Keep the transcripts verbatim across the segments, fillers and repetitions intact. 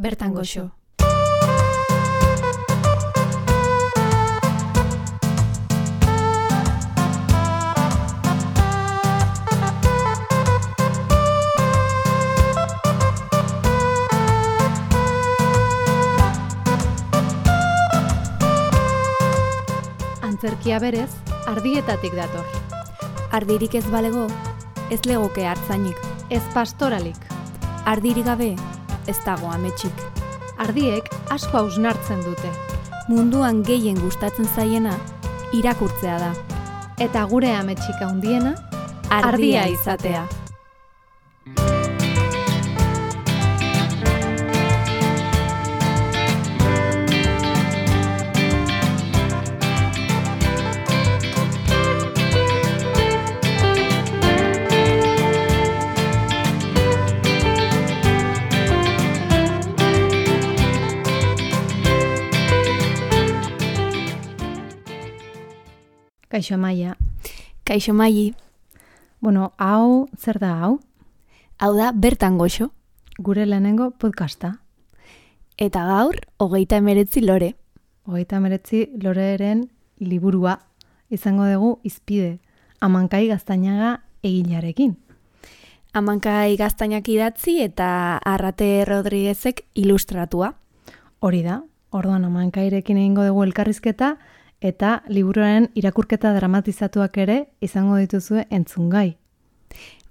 Bertan goxo. Antzerkia berez, ardietatik dator. Ardirik ez balego, ez legoke hartzainik. Ez pastoralik. Ardirik gabe, ez dago ametsik. Ardiek asko hausnartzen dute. Munduan gehien gustatzen zaiena, irakurtzea da. Eta gure ametsik handiena, Ardia ardia izatea. Kaixo Amaia. Kaixo Maili, Bueno, hau, zer da hau? hau da Bertan goxo. Gure lehenengo podcasta. Eta gaur, hogeita emeretzi lore. Hogeita meretzi Loreren liburua izango dugu izpide. Amankai Gaztañaga egilearekin. Amankai Gaztainak idatzi eta Arrate Rodriguezek ilustratua. Hori da, orduan Amankairekin egingo dugu elkarrizketa eta liburuaren irakurketa dramatizatuak ere izango dituzue entzungai.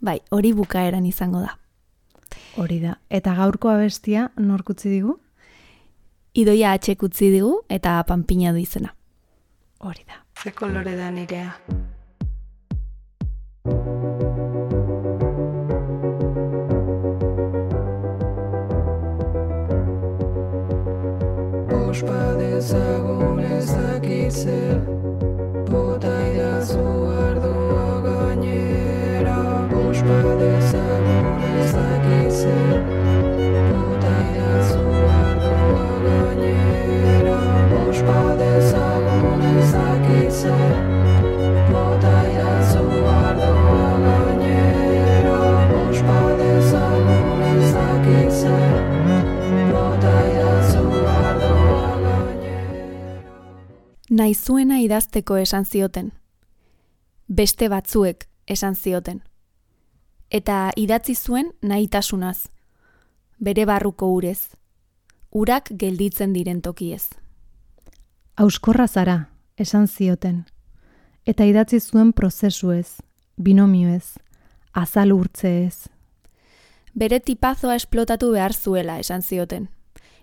Bai, hori bukaeran izango da. Hori da. Eta gaurko abestia nork utzi digu? Idoia atxek utzi digu eta panpina du izena. Hori da. Ze kolore da nirea. Ospa dezagun ezakitzer, bota idazu ardua gainera. Ospa dezagun ezakitzer, bota idazu ardua gainera. Ospa dezagun ezakitzer, bota idazu ardua gainera. Ospa dezagun ezakitzer, bota idazu ardua gainera. Nahi zuena idazteko esan zioten. Beste batzuek esan zioten. Eta idatzi zuen nahitasunaz. Bere barruko urez. Urak gelditzen diren tokiez. Auskorra zara, esan zioten. Eta idatzi zuen prozesuez, binomioez, azal urtzeez. Bere tipazoa esplotatu behar zuela esan zioten.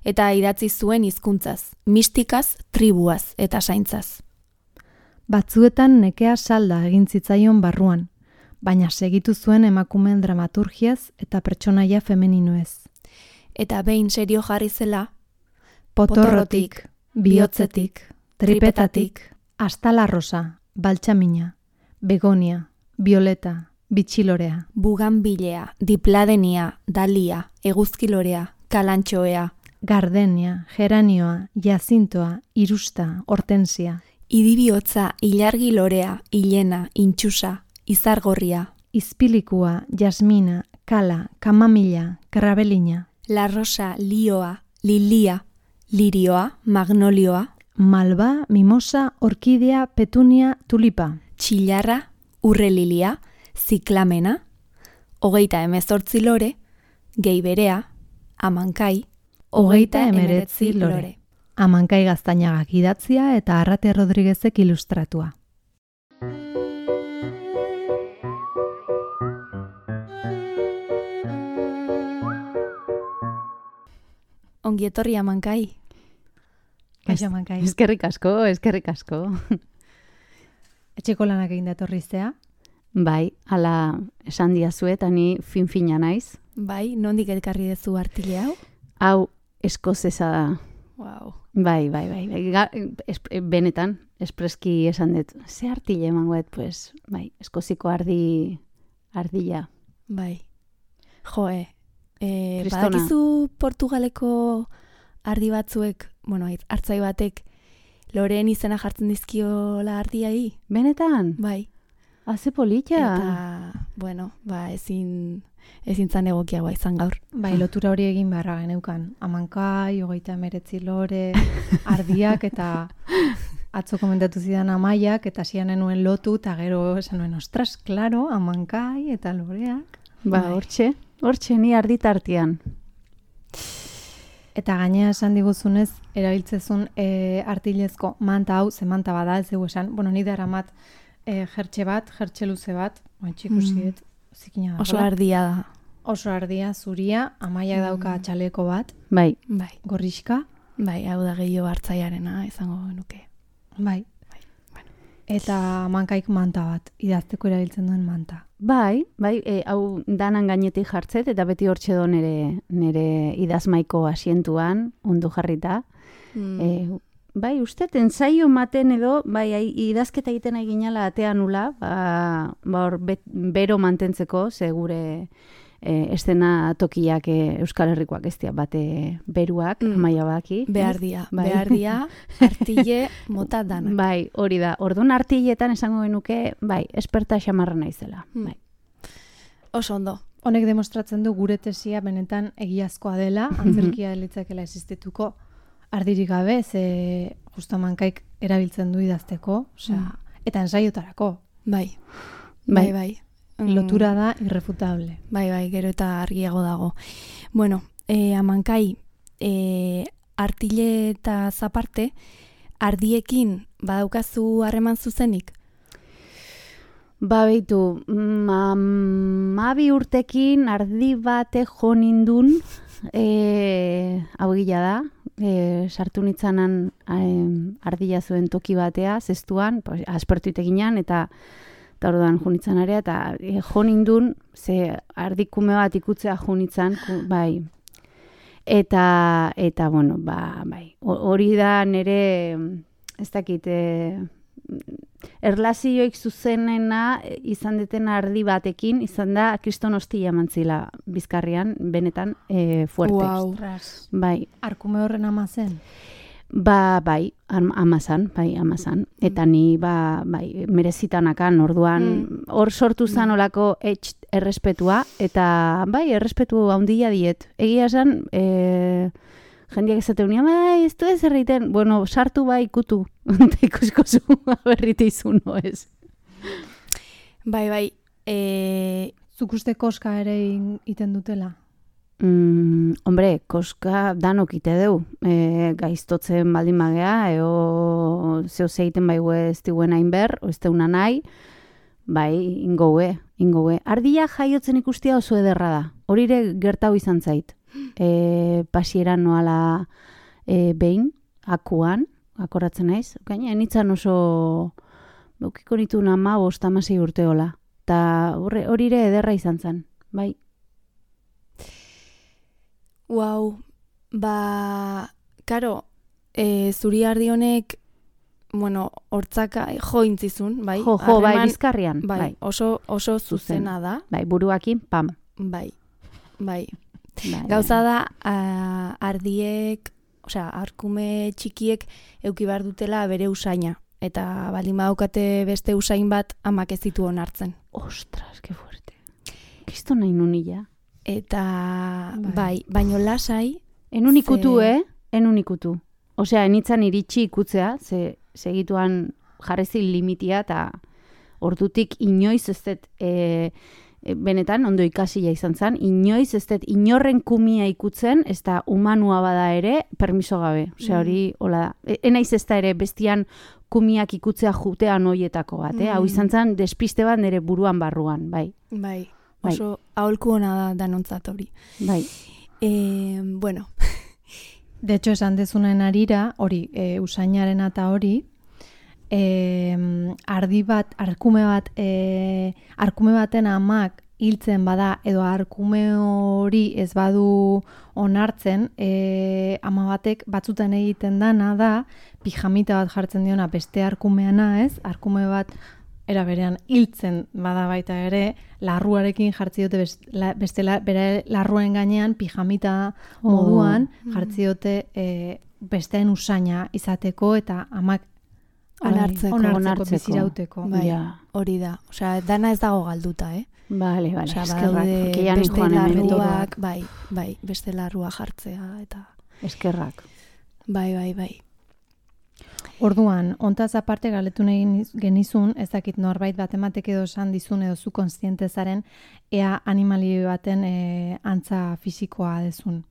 Eta idatzi zuen hizkuntzaz, mistikaz, tribuaz eta saintzaz. Batzuetan nekea salda egin zitzaion barruan, baina segitu zuen emakumeen dramaturgiaz eta pertsonaia femeninoez. Eta behin serio jarri zela, Potorrotik, bihotzetik, tripetatik, astalarrosa, baltsamina, begonia, violeta, bitxilorea, buganbilea, dipladenia, dalia, eguzkilorea, kalantxoea, gardenia, geranioa, jazintoa, irusta, hortensia, idibihotza, ilargi lorea, hilena, intxusa, izargorria, izpilikua, jasmina, kala, kamamila, karabelina, la rosa, lioa, lilia, lirioa, magnolioa, malba, mimosa, orkidea, petunia, tulipa, txillarra, urrelilia, ziklamena, hogeita emezortzi lore, gehi berea, amankai, hogeita emeretzi lore. Amankai Gaztañagak idatzia eta Arrate Rodriguezek ilustratua. Ongi etorri amankai. Kaixo Amankai. Eskerrik asko, eskerrik asko. Etxeko lanak egin datorriztea. Bai, ala esan diazu eta ni fin-fina naiz. Bai, nondik elkarri dezu artile hau? Hau eskozesa da. Wow. Bai, bai, bai. bai. Ga, es, benetan, espreski esan dut. Ze artile emangoet, pues, bai, eskoziko ardi, ardila. Bai. Joe, e, Kristona. badakizu Portugaleko ardi batzuek, bueno, hartzai batek, Loreen izena jartzen dizkiola ardiai? Benetan? Bai. Haze polita. Eta, bueno, ba, ezin, ezin zan egokiagoa izan gaur. Bai, lotura hori egin beharra geneukan. Amankai, hogeita emeretzi lore, ardiak, eta atzo komentatu zidan Amaiak, eta zian nuen lotu, eta gero esan nuen, ostras, klaro, Amankai, eta loreak. Ba, hortxe, hortxe ni arditartian. Eta gainea esan diguzunez, erabiltzezun e, artilezko manta hau, ze manta bada, ez dugu esan, bueno, nire aramat e, jertxe bat, jertxe luze bat, oin txikusiet, mm. zikina da. Oso ardia da. Oso ardia, zuria, Amaiak dauka txaleko bat, Bai, Bai, gorrixka, bai, hau da gehiago hartzaiarena izango nuke. bai. Bai, bueno. Eta Amankaik manta bat, idazteko erabiltzen duen manta. bai, bai, e, hau danan gainetik jartzet, eta beti hortxe do nere, nere idazmaiko asientuan, ondo jarrita. Mm. E, bai, uste, ensaio maten edo, bai, ai, idazketa egiten ari ginala atea nula, ba, ba hor, bet, bero mantentzeko, ze gure e, estena tokiak e, Euskal Herrikoak ez dira bate beruak, Mm. Amaia baki. Behar dia, Bai. behar dia, artile mota danak. Bai, hori da. Orduan artiletan esango genuke, bai, esperta xamarra naizela. Mm. Bai. Oso ondo. Honek demostratzen du gure tesia benetan egiazkoa dela, antzerkia litzakela existituko ardirik gabe, ze justo Amankaik erabiltzen du idazteko, osea, eta ensaiotarako. Bai, Bai. bai, bai. Mm, Lotura da irrefutable. Bai, bai, gero eta argiago dago. Bueno, eh, Amankai, eh, artile eta zaparte, ardiekin badaukazu harreman zuzenik? Ba, behitu, mabi urtekin ardi bate jo nindun, e, hau gila da, e, sartu nitzanan e, ardila zuen toki batea, zestuan, pues, aspertu iteginan, eta eta orduan jo nitzan area, eta e, jo nindun, ze ardikume bat ikutzea jo nitzan, ku, bai, eta, eta, bueno, ba, bai, hori da nire, ez dakit, e, erlazioik zuzenena izan deten ardi batekin, izan da kriston hostia mantzila Bizkarrian, benetan e, fuerte. Wow. Bai, Arkume horren ama zen? ba, bai, am, amazan, bai, amazan. Eta ni, ba, bai, merezitanakan, orduan, hor sortu zan olako etx errespetua, eta, bai, errespetu handia diet. Egia esan, e, jendeak ezate unia, bai, ez du ez erreiten, bueno, sartu bai ikutu, eta ikusko zu berrite izun, no ez. Bai, bai, e, Zuk uste koska ere in- iten dutela? Mm, hombre, koska danok ite deu. E, gaiztotzen baldin magea, eo zeo zeiten baigu ez diguen hainber, o ez deuna nahi, bai, ingoue, ingoue. Ardia jaiotzen ikustia oso ederra da. Hori ere gertau izan zait. E, pasieran noala e, behin, akuan, akoratzen naiz. Gaina, nitzan oso beukiko nitu nama bost amasei urteola. Ta hori ere ederra izan zen, bai. Wow, ba, karo, e, zuri ardi honek, bueno, hortzaka jo intzizun, bai? Jo, jo, bai, Harreman- Bizkarrian, bai, bai. oso, oso zuzena da, Bai, buruakin, pam. bai, bai. Bai, Gauza da, a, ardiek, osea, arkume txikiek euki behar dutela bere usaina. Eta baldin badaukate beste usain bat amak ez ditu onartzen. Ostras, que fuerte. Kisto nahi nunila. Eta Bai. bai, baino lasai, Enun ikutu, Ze- eh? Enun ikutu. Osea, enitzan iritsi ikutzea, ze segituan jarrezin limitia, eta ordutik inoiz ez dut, e, e, benetan, ondo ikasia izan zen, inoiz ez dut inorren kumia ikutzen, ez da humanua bada ere, permiso gabe. Osea, hori, hola da. E, enaiz ez da ere bestian kumiak ikutzea jutean hoietako bat, eh? Hau izan zen despiste bat nire buruan barruan, bai. bai, Bai. oso aholku ona da danontzat hori. Bai. E, bueno, De hecho, esan dezunen arira, hori, e, usainaren eta hori, e, ardi bat, arkume bat, e, arkume baten amak hiltzen bada, edo arkume hori ez badu onartzen, e, ama batek batzutan egiten dana da, pijamita bat jartzen diona beste arkumeana, ez? Arkume bat era berean hiltzen bada baita ere, larruarekin jartzi dute best, la, beste la, bere larruen gainean pijamita moduan jartzi dute e, besteen usaina izateko eta amak Onartzeko. onartzeko, onartzeko. bizirauteko. Bai, Ja. hori da. Osea, dana ez dago galduta, eh? Bale, bale, Osea, eskerrak. badaude Keian beste joan hemen. larruak, bai, bai, beste larrua jartzea, eta Eskerrak. bai, bai, bai. Orduan, ontaz aparte galetu nahi niz- genizun, ez dakit norbait bat ematek edo esan dizun edo zu kontziente zaren, ea animali baten e, antza fisikoa dezun.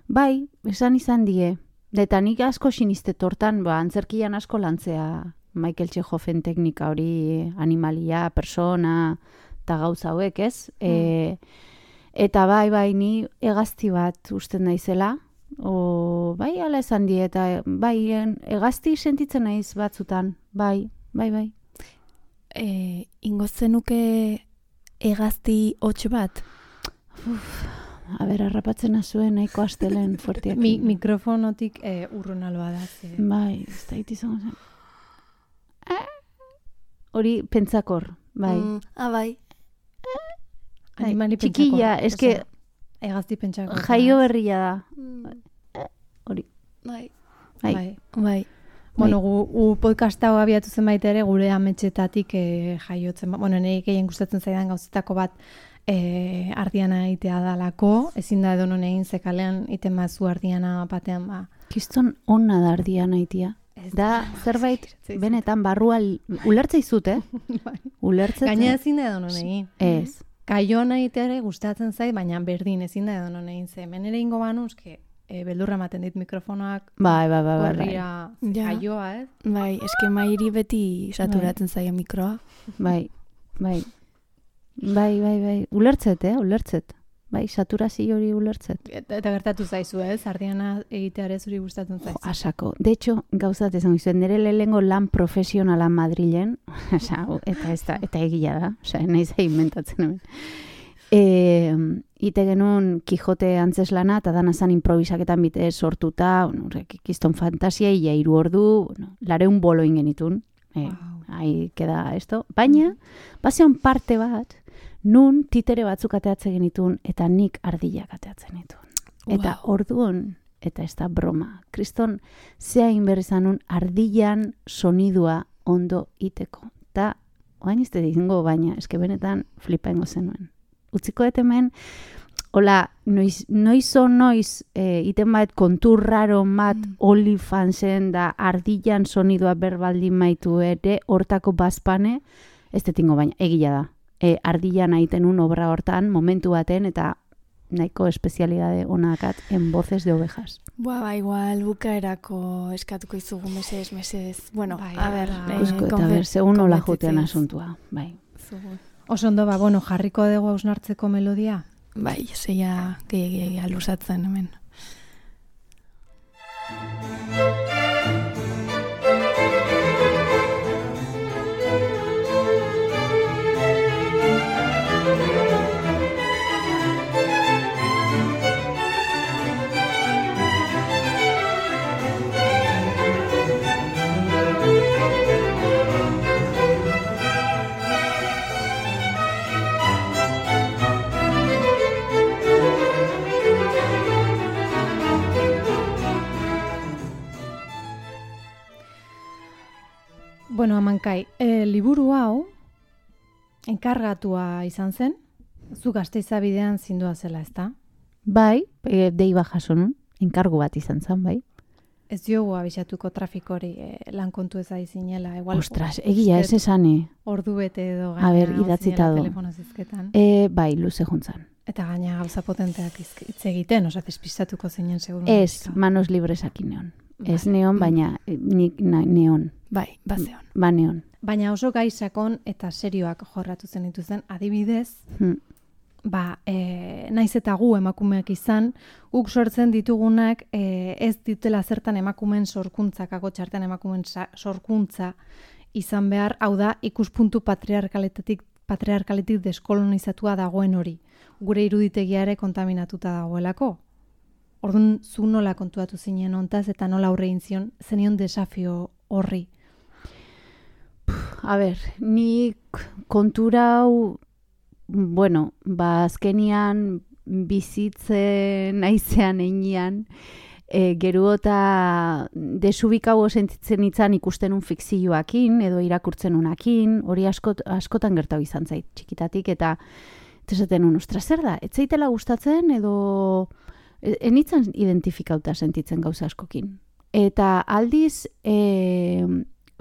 Bai, esan izan die. Eta nik asko sinistet hortan, ba, antzerkian asko lantzea Michael Tchehoven teknika hori, animalia, persona, eta gauza hauek, ez? E, eta bai, bai, ni hegazti bat usten naizela, o, bai, ala esan die, eta bai, en- hegazti sentitzen naiz batzutan, bai, bai, bai. E, ingo zenuke hegazti hots bat? A ber, harrapatzen azuen nahiko astelen fuertiak. Mi, mikrofonotik e, urrun alba da. Ze. Bai, ez da izango zen. Eh, Hori pentsakor, bai. Mm, ah, bai. Animali txikia, pentsako. eske Osea, Hegazti pentsako. jaio berria da. Hori, Bai, bai. Bai. bai. Bueno, gu, gu podcasta hau abiatu zen baita ere gure ametxetatik e, jaiotzen. ba- Bueno, nire gehien gustatzen zaidan gauzetako bat e, ardiana egitea dalako. Ezin da edo non egin zekalean iten bazu ardiana batean ba. Kiston onna da ardia naitia. Da, zerbait, benetan, barrua l- ulertza izut, eh? Ulertzen. Gaina ezin da edo non egin. Ez. Kaioan egitea ere gustatzen zait, baina berdin ezin da edo non egin ze. Hemen ere ingo banuz, que e, beldurra ematen dit mikrofonoak Bai, bai, bai, bai. bai. gorria ze Ja. kaioa, ez? Bai, eske mairi beti saturatzen zaio mikroa. Bai, bai. Bai, bai, bai. Ulertzet, eh? Ulertzet. Bai, saturazio hori ulertzet. Eta, eta gertatu zaizu, ez? Ardiana egitea ere zuri gustatzen Jo, zaizu. asako. De hecho, gauzat esan gizuen, nire lehengo lan profesionala Madrilen, osea, eta ez da, eta egia da, osea, nahi zain inventatzen hemen. E, ite genuen Kijote antzeslana, eta dana zan improvisaketan bite sortuta, bueno, horrek kiston fantasia, ia hiru ordu, bueno, lareun bolo ingenitun, e, Wow. ahí queda esto. Baina, bazeon parte bat, nun titere batzuk ateatzen genitun, eta nik ardilak ateatzen ditun. Eta Wow. orduan, eta ez da broma, kriston zehain berri zanun ardilan sonidua ondo iteko. Eta, oain ez dizingo, baina, eske benetan flipaingo zenuen. Utziko dut hemen, hola, noiz, noizo noiz e, iten bat kontur raro mat Mm. OnlyFansen da ardilan sonidua berbaldin maitu ere, hortako bazpane, ez detingo baina, egila da. E, ardilan aiten un obra hortan, momentu baten, eta nahiko espezialidade onakat en voces de ovejas. Ba, ba, igual bukaerako eskatuko izugu mesedez, mesedez. Bueno, Bai, a ber, bai. eh, Ikusko, eta konfe- ber, segun hola konbentzitzen jotean iz. asuntua, bai. Zugu. Oso ondo, ba, bueno, jarriko dugu hausnartzeko melodia. Bai, zeia gehiagia lusatzen hemen. Bueno, Amankai, e, liburu hau enkargatua izan zen, zu Gasteiza bidean zindua zela, ezta? Bai, e, deiba jaso nun, enkargu bat izan zen, bai. Ez diogu abisatuko trafikori e, lan kontu ez zinela. Igual, Ostras, egia ez esane. Ordu bete edo A ber, gaina idatzita zinela du. telefono zizketan. E, bai, luze juntzan. Eta gaina gauza potenteak izk- hitz egiten, oza, despistatuko zinen seguru. Ez, manos libresakin neon. Ez Bai. neon, baina eh, nik na, neon. Bai, bazeon. Ba neon. Baina oso gai sakon eta serioak jorratu zen dituzten, adibidez, Hm. ba, e, naiz eta gu emakumeak izan, guk sortzen ditugunak e, ez ditela zertan emakumeen sorkuntza, kago txartean emakumeen sa- sorkuntza izan behar, hau da, ikuspuntu patriarkaletatik, patriarkaletik deskolonizatua dagoen hori. Gure iruditegia ere kontaminatuta dagoelako. Orduan, zu nola kontuatu zinen hontaz eta nola aurre egin zion, zenion desafio horri. A ber, nik kontura hau, bueno, ba azkenian bizitzen naizean einean, E, gero eta desubikau sentitzen itzan ikusten un fikzioakin edo irakurtzen unakin, hori askot, askotan gertau izan zait txikitatik, eta esaten un, ostra, zer da, etzaitela gustatzen edo enitzan identifikauta sentitzen gauza askokin. Eta aldiz e,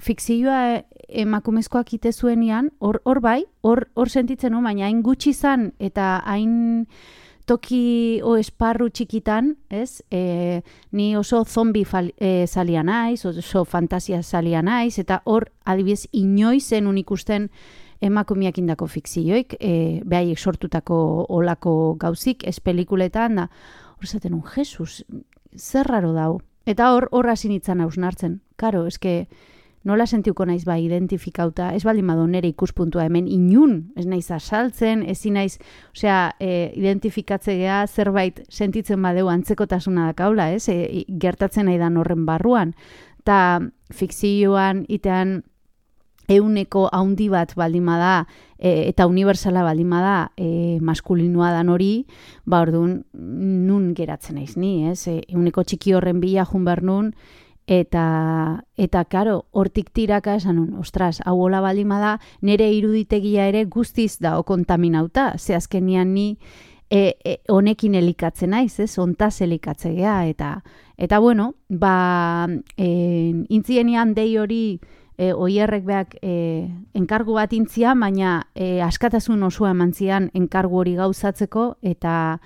fikzioa emakumezkoak ite zuenian, hor hor bai, hor hor sentitzen no, baina hain gutxi izan eta hain toki o esparru txikitan, ez? E, ni oso zombi fal, e, zalia naiz, oso fantasia zalia naiz, eta hor adibidez inoiz zenun ikusten emakumeak indako fikzioik, e, behaiek sortutako olako gauzik, ez pelikuletan, da, hor zaten un, Jesus, zer raro dau. Eta hor, hor hasi nintzen hausnartzen. Karo, eske, nola sentiuko naiz ba identifikauta, ez baldin badu nere ikuspuntua hemen inun, ez naiz asaltzen, ezin naiz, osea, e, identifikatzea zerbait sentitzen badeu antzekotasuna dakaula, ez? E, gertatzen nahi dan horren barruan. Ta fikzioan itean euneko haundi bat baldin bada e, eta unibertsala baldin bada e, maskulinoa dan hori, ba orduan nun geratzen naiz ni, ez? E, euneko txiki horren bila jun behar nun, Eta, eta karo, hortik tiraka esan nun, ostras, hau hola baldin bada, nire iruditegia ere guztiz da kontaminauta, ze azkenian ni e, e, honekin elikatzen naiz, ez, ontaz elikatzea, eta, eta bueno, ba, e, intzienian dei hori e, oierrek beak e, enkargu bat intzia, baina e, askatasun osoa eman zian enkargu hori gauzatzeko, eta,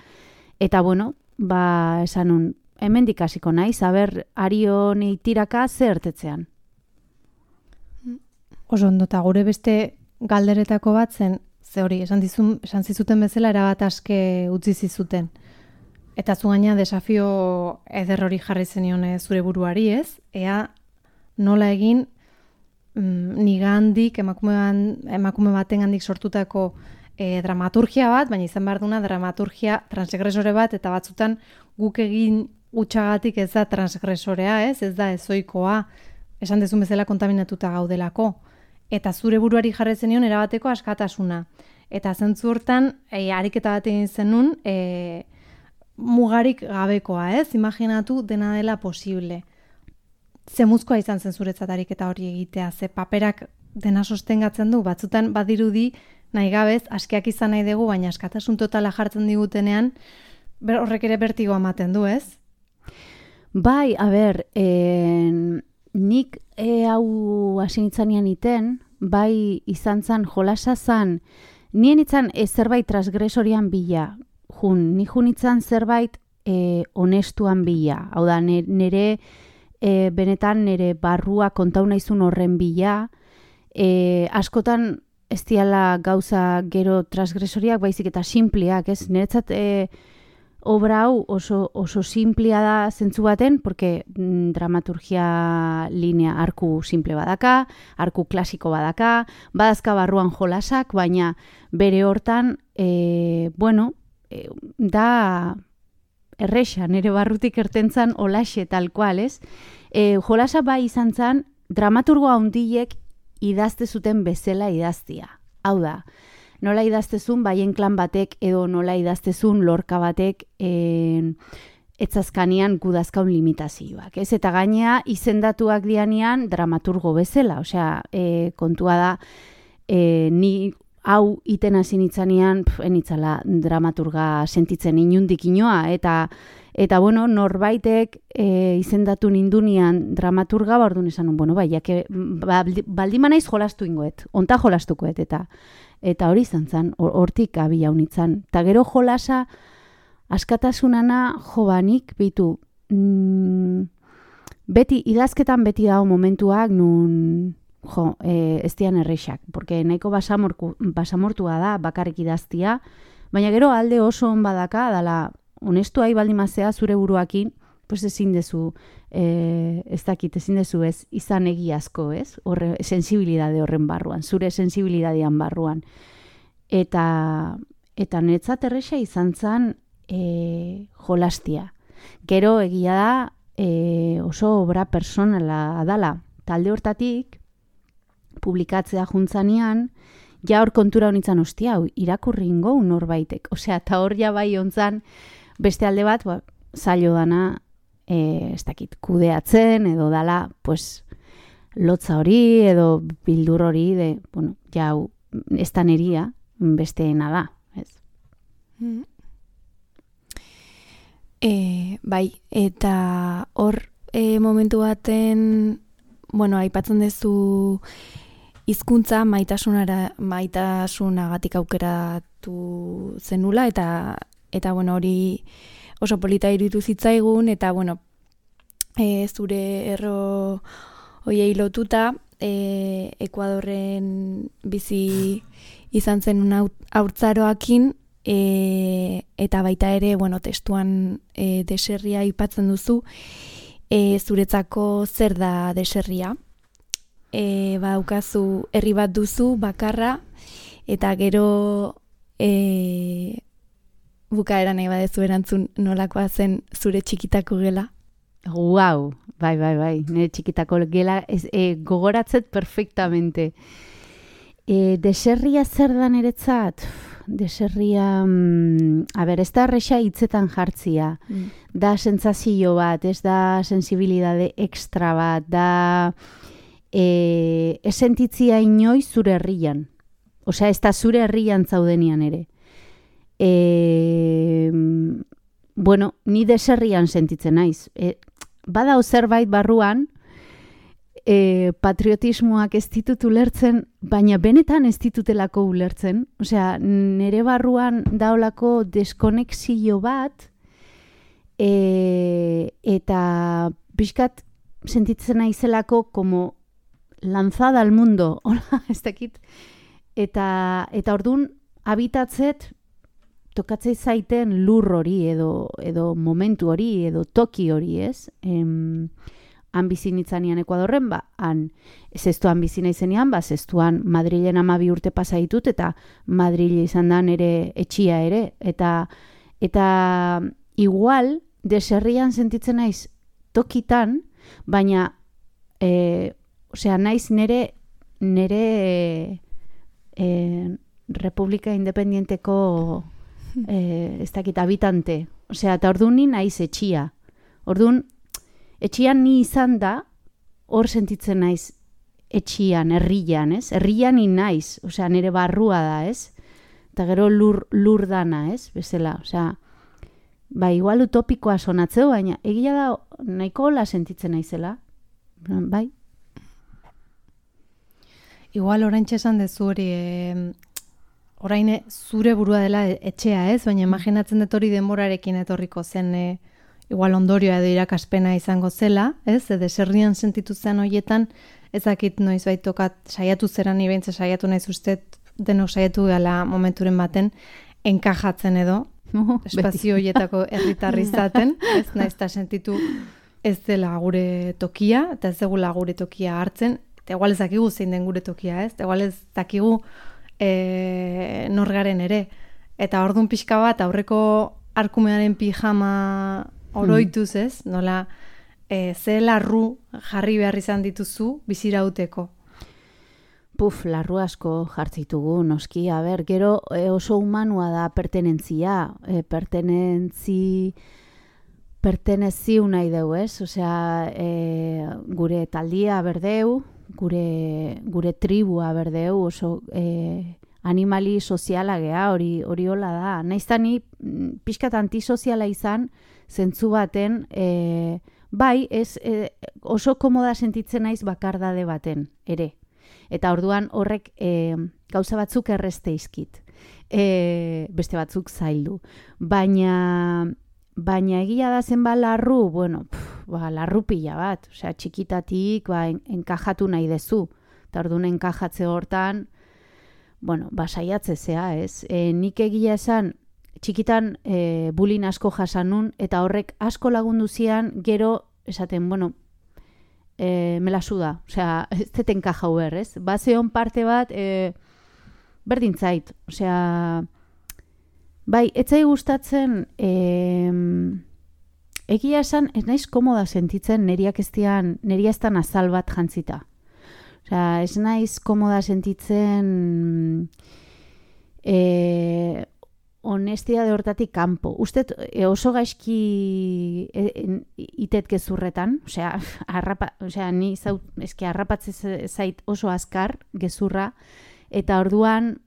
eta bueno, ba, esan nun, hemendik hasiko naiz, aber Arion tiraka zertetzean. Oso ondo, eta gure beste galderetako bat zen, ze hori, esan, dizun, esan zizuten bezala erabat aske utzi zizuten. Eta zu gaina desafio eder hori jarri zenion zure buruari, ez? Ea nola egin mm, nigandik, emakume, emakume baten gandik sortutako e, dramaturgia bat, baina izan behar duna dramaturgia transgresore bat, eta batzutan guk egin utxagatik ez da transgresorea, ez? Ez da ezoikoa, esan dezun bezala kontaminatuta gaudelako. Eta zure buruari jarri zenion erabateko askatasuna. Eta zentzu hortan, e, ariketa bat egin zenun, e, mugarik gabekoa, ez? Imaginatu dena dela posible. Zemuzkoa izan zen zuretzat ariketa hori egitea, ze paperak dena sostengatzen du, batzutan badirudi nahi gabez, askeak izan nahi dugu, baina askatasun totala jartzen digutenean, ber, horrek ere bertigo ematen du, ez? Bai, a ber, en, nik e, hau asinitzanean iten, bai izan zan, jolasa zan, nien itzan e, zerbait transgresorian bila, jun, ni jun itzan zerbait e, honestuan bila, hau da, nire e, benetan nire barrua kontau naizun horren bila, e, askotan ez diala gauza gero transgresoriak, baizik eta simpliak, ez, niretzat e, obra hau oso, oso simplia da zentzu baten, porque mm, dramaturgia linea arku simple badaka, arku klasiko badaka, badazka barruan jolasak, baina bere hortan, e, bueno, e, da erresa, nire barrutik ertentzan olaxe tal cual, ez? E, jolasa bai izan zan, dramaturgo handiek idazte zuten bezala idaztia. Hau da, nola idaztezun baien klan batek edo nola idaztezun lorka batek e, etzazkanian gudazkaun limitazioak. Ez? Eta gainea izendatuak dianean dramaturgo bezala. Osea, e, kontua da, e, ni hau iten hasi nitzanean, enitzala dramaturga sentitzen inundik inoa. Eta, eta bueno, norbaitek e, izendatu nindunian dramaturga, ba orduan esan, bueno, bai, jake, baldima naiz jolastu ingoet, onta jolastukoet, eta Eta hori izan zen, hortik abi jaunitzan. Ta gero jolasa, askatasunana jobanik, bitu, mm, beti, idazketan beti dago momentuak nun, jo, e, ez dian erreixak, porque nahiko basamorku, basamortua da, bakarrik idaztia, baina gero alde oso on badaka, dala, honestu ahi baldimazea zure buruakin, pues ezin dezu, e, ez dakit, ezin dezu ez, izan egiazko, ez? Horre, sensibilidade horren barruan, zure sensibilidadean barruan. Eta, eta niretzat erresa izan zen e, jolastia. Gero egia da e, oso obra personala dala. Talde hortatik, publikatzea juntzanean, ja hor kontura honitzen ostia, irakurri ingo norbaitek. Osea, eta hor ja bai ontzan, beste alde bat, ba, zailo dana, e, ez dakit, kudeatzen, edo dala, pues, lotza hori, edo bildur hori, de, bueno, jau, ez da neria, besteena da, ez? Mm. E, bai, eta hor e, momentu baten, bueno, aipatzen duzu hizkuntza maitasunara maitasunagatik aukeratu zenula eta eta bueno, hori oso polita iruditu zitzaigun eta bueno, e, zure erro hoiei lotuta e, Ekuadorren bizi izan zen haurtzaroakin e, eta baita ere, bueno, testuan e, deserria aipatzen duzu, e, zuretzako zer da deserria? E, badaukazu herri bat duzu bakarra eta gero e, bukaera nahi badezu erantzun nolakoa zen zure txikitako gela? Guau, bai, bai, bai, nire txikitako gela ez, e, gogoratzet perfectamente. E, deserria zer da niretzat? Deserria, mm, a ber, ez da erresa hitzetan jartzia, mm. da sentsazio bat, ez da sensibilidade extra bat, da e, ez sentitzia inoiz zure herrian. Osea, ez da zure herrian zaudenian ere. E, bueno, ni deserrian sentitzen naiz. E, badau zerbait barruan, e, patriotismoak ez ditut ulertzen, baina benetan ez ditutelako ulertzen. Osea, nire barruan daolako deskonexio bat, e, eta pixkat sentitzen naizelako como lanzada al mundo, hola, ez dakit. Eta, eta orduan, habitatzet, tokatzei zaiten lur hori, edo, edo momentu hori, edo toki hori, ez? Em, han bizinitzanian Ekuadorren, ba, han zestuan bizina izenean, ba, zestuan Madrilen amabi urte pasa ditut, eta Madrile izan da nere etxia ere, eta, eta igual, deserrian sentitzen naiz tokitan, baina, e, osea, naiz nere, nere e, e, Republika Independienteko e, ez dakit habitante. Osea, eta orduan ni naiz etxia. Orduan, etxian ni izan da, hor sentitzen naiz etxian, herrian, ez? Herrian ni naiz, osea, nire barrua da, ez? Eta gero lur, lur dana, ez? Bezala, osea, ba, igual utopikoa sonatzeu, baina egia da nahiko hola sentitzen naizela. Bai? Igual oraintxe esan dezu hori, e, orain zure burua dela etxea, ez? Baina imaginatzen dut hori denborarekin etorriko zen, e, igual ondorioa edo irakaspena izango zela, ez? E, deserrian sentitu zen horietan, ezakit noiz baitokat saiatu zeran, ibentze saiatu naiz uste, denok saiatu gala momenturen baten, enkajatzen edo, oh, espazio horietako herritarri izaten, ez naiz ta sentitu ez dela gure tokia, eta ez degula gure tokia hartzen, eta igual ez dakigu zein den gure tokia, ez? Eta igual ez dakigu e, norgaren ere. Eta orduan pixka bat, aurreko arkumearen pijama oroituz, ez? Nola, e, ze larru jarri behar izan dituzu bizirauteko? Puf, larru asko jartzitugu, noski. A ber, gero e, oso humanua da pertenentzia. E, pertenentzi... perteneziu nahi deu, ez? Osea, e, gure taldia berdeu, gure, gure tribua berdeu, oso e, animali soziala gea, hori hori hola da. Naizta ni pixkat antisoziala izan, zentzu baten, e, bai, ez, e, oso komoda sentitzen naiz bakardade baten, ere. Eta orduan horrek e, gauza batzuk erreste izkit. E, beste batzuk zaildu. Baina... Baina egia da zenba larru, bueno, pff, ba, larru pila bat. Osea, txikitatik ba, en, enkajatu nahi dezu. Eta orduan enkajatze hortan, bueno, ba, saiatzezea, ez? E, nik egia esan, txikitan e, bulin asko jasanun, eta horrek asko lagundu zian, gero, esaten, bueno, e, melasu da. Osea, ez dut enkajau ber, ez? Ba, zeon parte bat, e, berdin zait. Osea... Bai, etzai gustatzen, eh, egia esan, ez naiz komoda sentitzen neriak ez dian, neria ez dan azal bat jantzita. Osea, ez naiz komoda sentitzen eh, honestitate hortatik kanpo. Ustet e, oso gaizki e, e, itet gezurretan, osea, arrapa, osea, ni zau, eske arrapatze zait oso azkar gezurra, eta orduan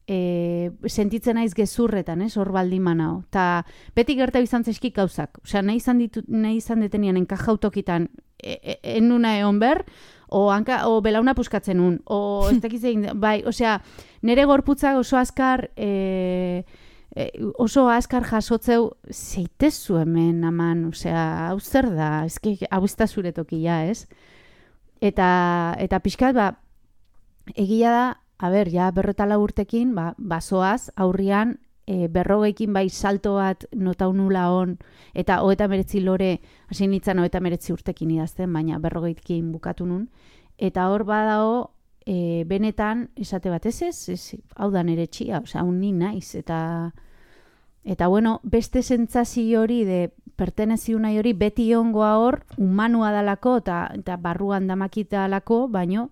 e, sentitzen naiz gezurretan, ez, hor baldin manao. Ta beti gertatu izan zaizki gauzak. Osea, nahi izan ditu, nahi izan detenian enkajautokitan e, e, enuna egon ber, o, hanka, o belauna puskatzen un, o ez dakiz egin, bai, osea, nere gorputzak oso azkar, e, e, oso azkar jasotzeu, zeitezu hemen, aman, osea, hau zer da, ezke, hau ez da zure tokia, ez? Eta, eta pixkat, ba, egia da, a ber, ja, berrotala urtekin, ba, basoaz, aurrian, e, berrogeikin bai salto bat notaunula on, eta hoeta meretzi lore, hasi nintzen hoeta meretzi urtekin idazten, baina berrogeikin bukatu nun, eta hor badao, e, benetan, esate bat ez ez, ez hau da nere txia, osea, hau ni naiz, eta, eta bueno, beste sentsazio hori, de pertenezio nahi hori, beti ongoa hor, humanua dalako, eta, eta barruan damakita dalako, baino,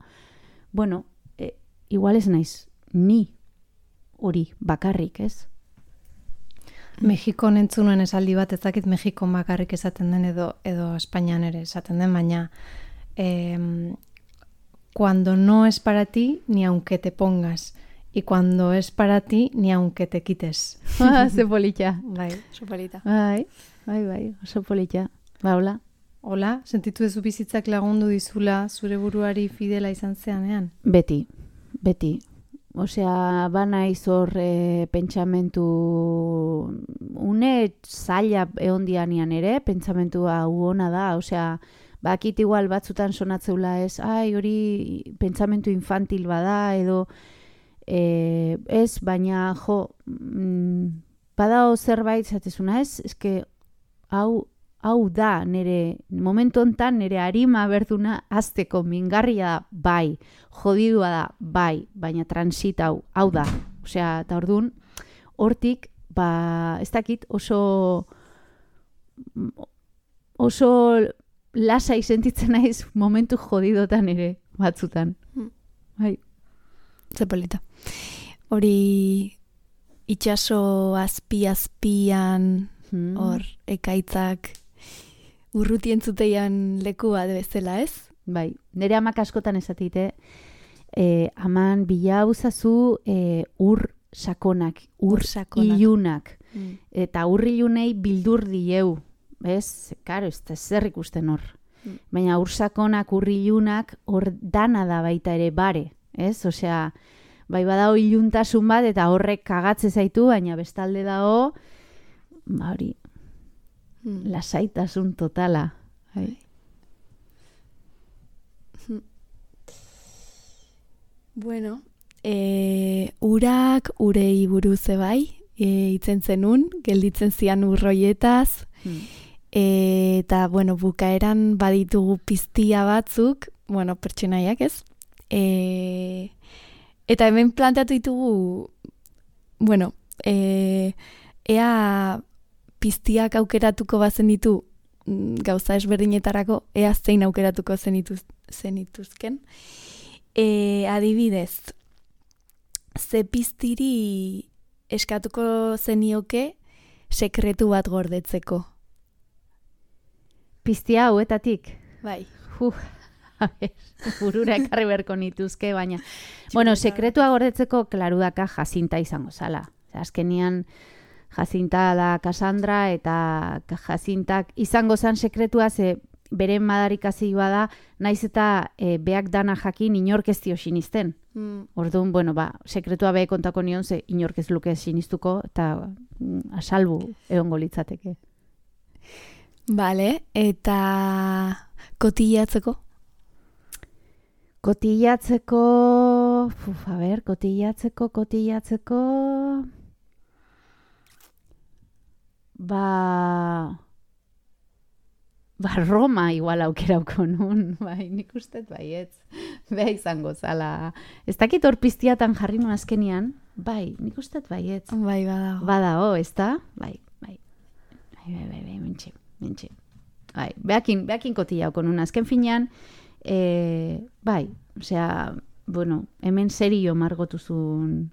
bueno, e, igual ez naiz, ni hori bakarrik, ez? Mexikon entzunuen esaldi bat, ez dakit Mexikon bakarrik esaten den edo, edo Espainian ere esaten den, baina eh, cuando no es para ti, ni aunque te pongas, y cuando es para ti, ni aunque te quites. Ah, ze polita. Bai, Oso polita. Bai, bai, bai, oso polita. Ba, hola. hola, sentitu duzu bizitzak lagundu dizula zure buruari fidela izan zeanean? Beti, beti. Osea, bana izor e, pentsamentu une zaila egon dianian ere, pentsamentua uona da, osea, bakit igual batzutan sonatzeula ez, ai, hori pentsamentu infantil bada, edo e, ez, baina jo, mm, badao zerbait zatezuna ez, eske hau, hau da nere, momentu hontan nere arima berduna azteko mingarria da, bai, jodidua da, bai, baina transitau, hau da. Osea, eta orduan, hortik, ba, ez dakit, oso, oso lasai sentitzen naiz momentu jodidotan ere, batzutan. Bai. Ze polita. Hori itxaso azpi-azpian, hor, ekaitzak, urruti entzuteian leku bat bezala, ez? Bai, nire amak askotan esatite, eh, aman bila uzazu eh, ur sakonak, ur, Ur sakonak. ilunak, Mm. eta ur ilunei bildur dieu, ez? Karo, ez da zer ikusten hor. Mm. Baina ur sakonak, ur ilunak, hor dana da baita ere bare, ez? Osea, bai badao iluntasun bat, eta horrek kagatze zaitu, baina bestalde dao, ba hori, Mm. lasaitasun totala. Bai. Bueno, e, urak urei buruz bai, e, itzen zenun, gelditzen zian urroietaz, Hmm. e, eta, bueno, bukaeran baditugu piztia batzuk, bueno, pertsonaiak ez, e, eta hemen planteatu ditugu, bueno, e, ea piztiak aukeratuko bazen ditu mm, gauza ezberdinetarako, ea zein aukeratuko zenituz, zenituzken. E, adibidez, ze piztiri eskatuko zenioke sekretu bat gordetzeko. Piztia hauetatik. Bai. Uf, a ver, burura ekarri berko nituzke, baina. Bueno, sekretua gordetzeko klarudaka Jacinta izango zala. Azkenian Jacinta da Cassandra, eta Jacintak izango zan sekretua, ze beren madarikazioa da, naiz eta e, beak dana jakin inork ez dio sinisten. Mm. Orduan, bueno, ba, sekretua behe kontako nion, ze inork ez luke sinistuko, eta mm, asalbu egongo litzateke. Vale, eta kotillatzeko? Kotillatzeko, uf, a ber, kotillatzeko, kotillatzeko, ba, ba Roma igual aukerauko nun, bai, nik ustet baietz, beha izango zala. Ez dakit hor piztiatan jarri nun azkenian, bai, nik ustet baietz. Bai, badago. Badao, ez da? Bai, bai, bai, bai, bai, bai, mentxe, mentxe. Bai, behakin, behakin kotillauko nun, azken finean, e, bai, osea, bueno, hemen serio margotuzun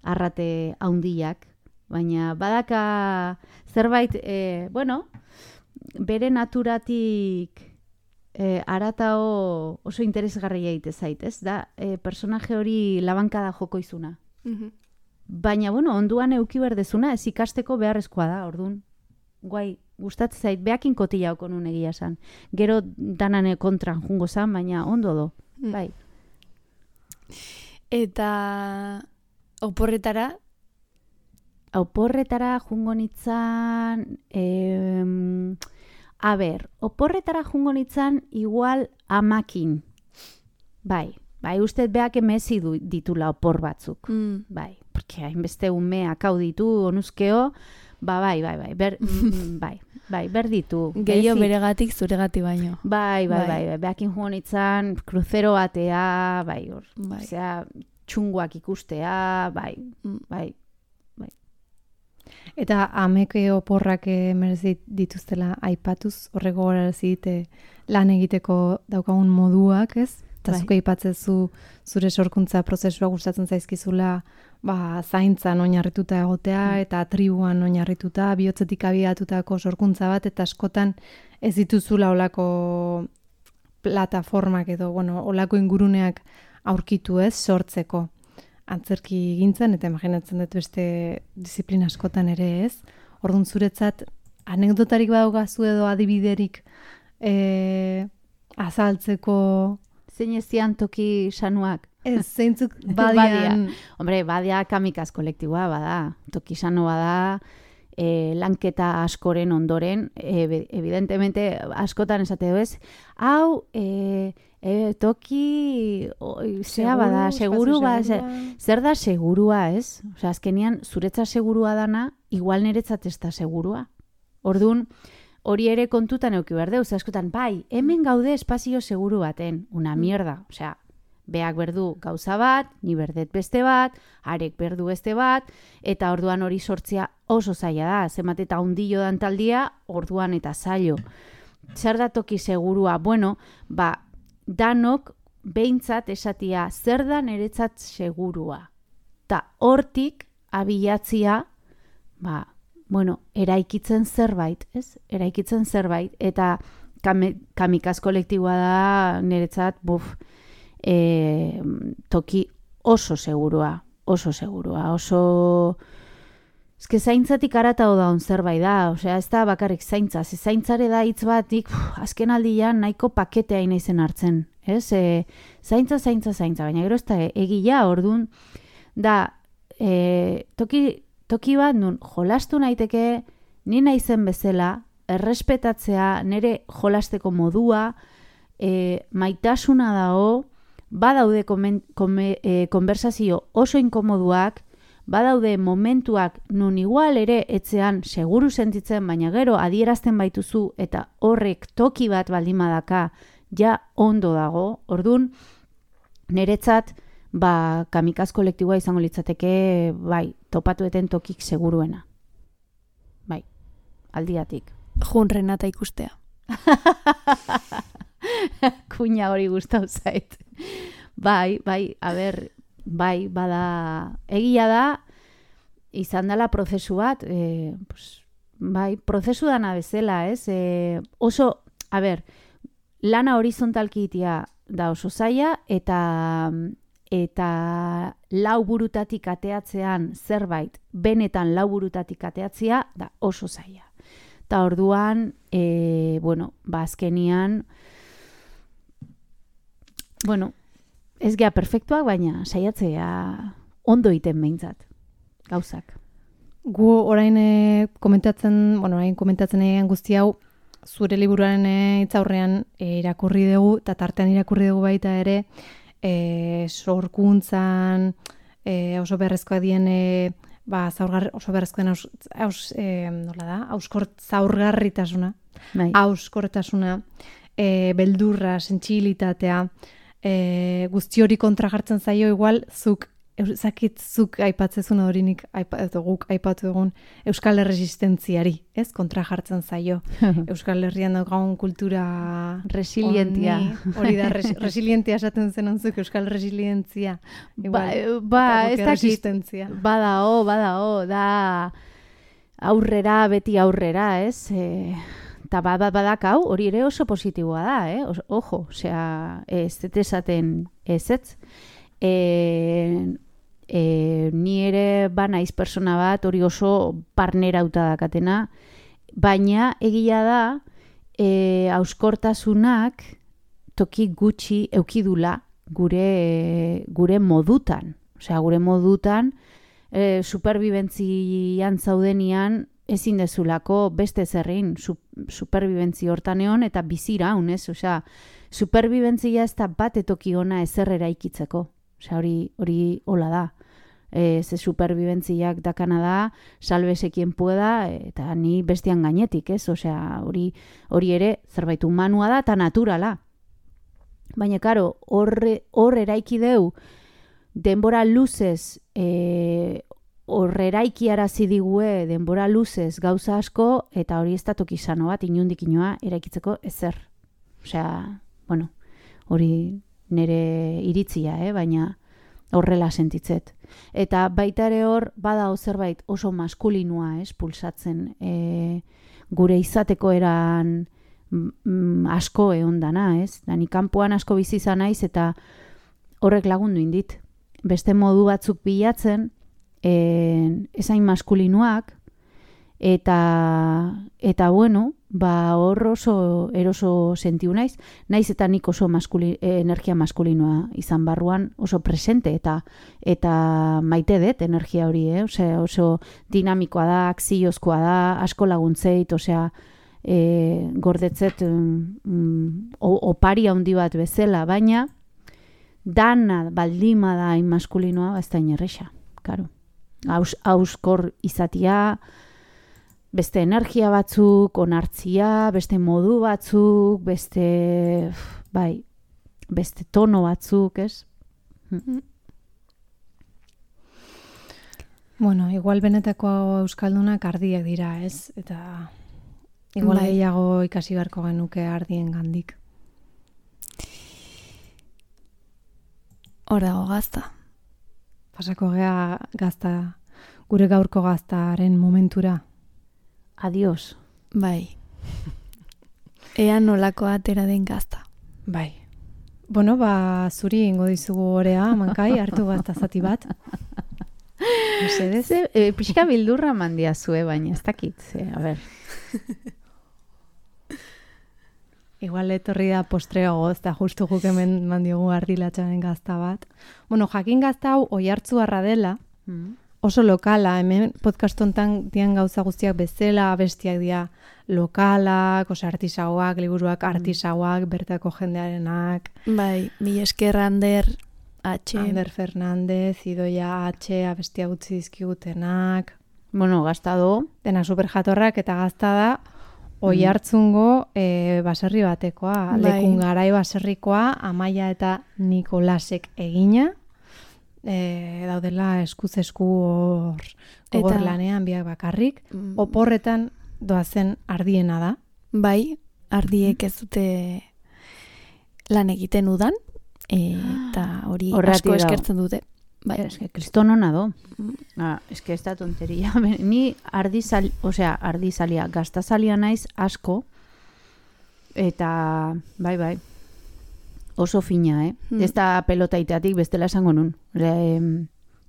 arrate haundiak, baina badaka zerbait, e, bueno, bere naturatik e, aratao oso interesgarria egite zait, ez? Da, e, personaje hori labankada joko izuna. Mhm. Baina, bueno, onduan euki berdezuna, ez ikasteko beharrezkoa da, ordun. Guai, gustatzen zait, beakin kotila oko nun egia san. Gero danane kontran jungo zan, baina ondo do. Mm. Bai. Eta oporretara, Oporretara jungo nitzan, em, a ber, oporretara jungo nitzan igual amakin. Bai, bai, uste beak emezi du, ditula opor batzuk. mm. Bai, porque hainbeste umeak hau ditu, onuzkeo, ba, bai, bai, bai, ber, mm, bai, bai, ber ditu. gehiago Bezi. beregatik zuregati baino. Bai, bai, Bai. bai, bai, beakin jungo nitzan, kruzero batea, bai, hor, Bai. osea, txunguak ikustea, bai, Mm. bai. Eta ameke oporrak eh, merezi dituztela aipatuz, horrego horrezi dite lan egiteko daukagun moduak, ez? Eta Bai. zuke aipatzezu zure sorkuntza prozesua gustatzen zaizkizula, ba, zaintzan oinarrituta egotea eta tribuan oinarrituta, bihotzetik abiatutako sorkuntza bat, eta askotan ez dituzula olako plataformak edo, bueno, olako inguruneak aurkitu, ez, sortzeko. Antzerki gintzen, eta imaginatzen dut beste disiplina askotan ere, ez? Orduan zuretzat, anekdotarik badaukazu edo adibiderik e, azaltzeko, Zein ezian toki sanuak? ez, zeintzuk Badia. badian, Hombre, badia kamikaz kolektiboa bada, tokisano bada, e, lanketa askoren ondoren, e, evidentemente askotan esate du ez, hau, e, e, toki, oi, zea bada, seguru, ba, zer, zer da segurua, ez? Osea, azkenian, zuretza segurua dana, igual niretzat ez da segurua. Orduan, hori ere kontutan euki behar deu, ze askotan, bai, hemen gaude espazio seguru baten, una mierda, osea, beak berdu gauza bat, ni berdet beste bat, arek berdu beste bat, eta orduan hori sortzea oso zaila da, zenbat eta hundillo dan taldia, orduan eta zailo. Zer da toki segurua? Bueno, ba, danok behintzat esatia zer da niretzat segurua. Ta hortik abilatzia, ba, bueno, eraikitzen zerbait, ez? Eraikitzen zerbait, eta kame, kamikaz kolektiboa da niretzat, buf, e, toki oso segurua, oso segurua, oso... Ez que zaintzatik aratao da on zerbait da, osea, ez da bakarrik zaintza, ze zaintzare da hitz batik, azken aldian nahiko paketea inaizen hartzen, ez? E, zaintza, zaintza, zaintza, baina gero ez da egia, ordun da, e, toki, toki bat nun jolastu naiteke, ni naizen bezala, errespetatzea, nire jolasteko modua, e, maitasuna dago, badaude komen, kome, e, konversazio oso inkomoduak, badaude momentuak nun igual ere etzean seguru sentitzen, baina gero adierazten baituzu eta horrek toki bat baldin badaka ja ondo dago. Ordun niretzat ba kamikaz kolektiboa izango litzateke bai topatueten tokik seguruena. Bai, aldiatik. Jun Renata ikustea. Kuña hori gustau zait. Bai, bai, a ber, bai, bada, egia da, izan dela prozesu bat, e, pues, bai, prozesu dana bezala, ez? E, oso, a ber, lana horizontalki itia da oso zaila, eta, eta lau burutatik ateatzean zerbait, benetan lau burutatik ateatzea, da oso zaila. Eta orduan, e, bueno, ba, azkenian, bueno, ez gea perfektuak, baina saiatzea ondo iten behintzat, gauzak. gu orain e, komentatzen, bueno, orain komentatzen egin guzti hau, zure liburuaren e, hitzaurrean e, irakurri dugu, eta tartean irakurri dugu baita ere, e, sorkuntzan, e, oso beharrezkoak dien, e, ba, zaurgar, oso beharrezkoa den, aus, aus, e, nola da, auskort zaurgarritasuna, Bai. auskortasuna, e, beldurra, sentsibilitatea, e, guzti hori kontra jartzen zaio igual, zuk Eusakitzuk aipatzezun horinik aipa, edo guk aipatu egun Euskal Erresistentziari, ez? Kontra jartzen zaio. Euskal Herrian daukagun kultura resilientia. honi, hori da, res, resilientia esaten zen onzuk, Euskal Resilientzia. Ba, Igual, ba ez dakit, resistentzia. badao, badao, da aurrera, beti aurrera, ez? E, eta bat badakau, hori ere oso positiboa da, eh? Os, ojo, osea, ez esaten ez ez. E, e, ni ere banaiz persona bat, hori oso barnerauta dakatena, baina egia da, e, auskortasunak toki gutxi eukidula gure, gure modutan. Osea, gure modutan, e, superbibentzian zaudenian, ezin dezulako beste zerrein su, superbibentzi hortan egon eta biziraun, ez? Osea, superbibentzia ez da bat etoki ona ezer eraikitzeko. Osea, hori, hori hola da. E, ze superbibentziak dakana da, salbese quien pueda, eta ni bestian gainetik, ez? Osea, hori, hori ere zerbait humanua da eta naturala. Baina, karo, horre, hor eraiki deu, denbora luzez, e, hor eraiki arazi digue denbora luzez gauza asko, eta hori ez da toki sano bat, inundik inoa, eraikitzeko ezer. Osea, bueno, hori nire iritzia, eh? Baina horrela sentitzet. Eta baita ere hor, bada zerbait oso maskulinua, ez, pulsatzen, e, gure izateko eran mm, asko egon dana, ez? Dani kanpoan asko bizi izan naiz eta horrek lagundu indit. Beste modu batzuk bilatzen, e, ezain maskulinuak, eta, eta bueno, ba hor oso eroso sentiu naiz, naiz eta nik oso maskuli, energia maskulinoa izan barruan oso presente eta eta maite dut energia hori, eh? Osea, oso dinamikoa da, akziozkoa da, asko laguntzeit, osea, e, gordetzet um, opari handi bat bezala, baina dana baldima da hain maskulinoa, ez da inerresa, karo. Aus, auskor izatia, beste energia batzuk, onartzia, beste modu batzuk, beste, bai, beste tono batzuk, ez? Mm. Bueno, igual benetako euskaldunak ardiak dira, ez? Eta igual bai. Gehiago ikasi beharko genuke ardien gandik. Hor dago gazta. Pasako gea gazta, gure gaurko gaztaren momentura. Adios. Bai. Ea nolako atera den gazta. Bai. Bueno, ba, zuri ingo dizugu orea, mankai, hartu gazta zati bat. Mesedez, e, pixka bildurra mandia zue, baina ez dakit, ze, a ber. Igual etorri da postreago, ez da justu guk hemen mandiogu ardilatxaren gazta bat. Bueno, jakin gazta hau oihartzu harra dela, mm. oso lokala, hemen podcast hontan dian gauza guztiak bezala, bestiak dira lokalak, oso artisauak, liburuak artisauak, bertako jendearenak. Bai, mi esker Ander H. Ander Fernandez, Idoia H, abestia gutzi dizkigutenak. Bueno, gazta do. Dena superjatorrak eta gazta da, oihartzungo e, baserri batekoa, bai. Lekun garai baserrikoa, Amaia eta Nikolasek egina, e, daudela eskuz esku hor eta... lanean biak bakarrik, mm. oporretan doazen ardiena da. Bai, ardiek ez dute lan egiten udan, eta hori asko eskertzen dute. Bai. Eske, kriston hona do. Ah, eske ez da tonteria. Ni ardizal, osea, ardizalia, gaztazalia naiz asko, eta bai, bai, oso fina, eh? Hmm. Ez da pelotaitatik bestela esango nun. E,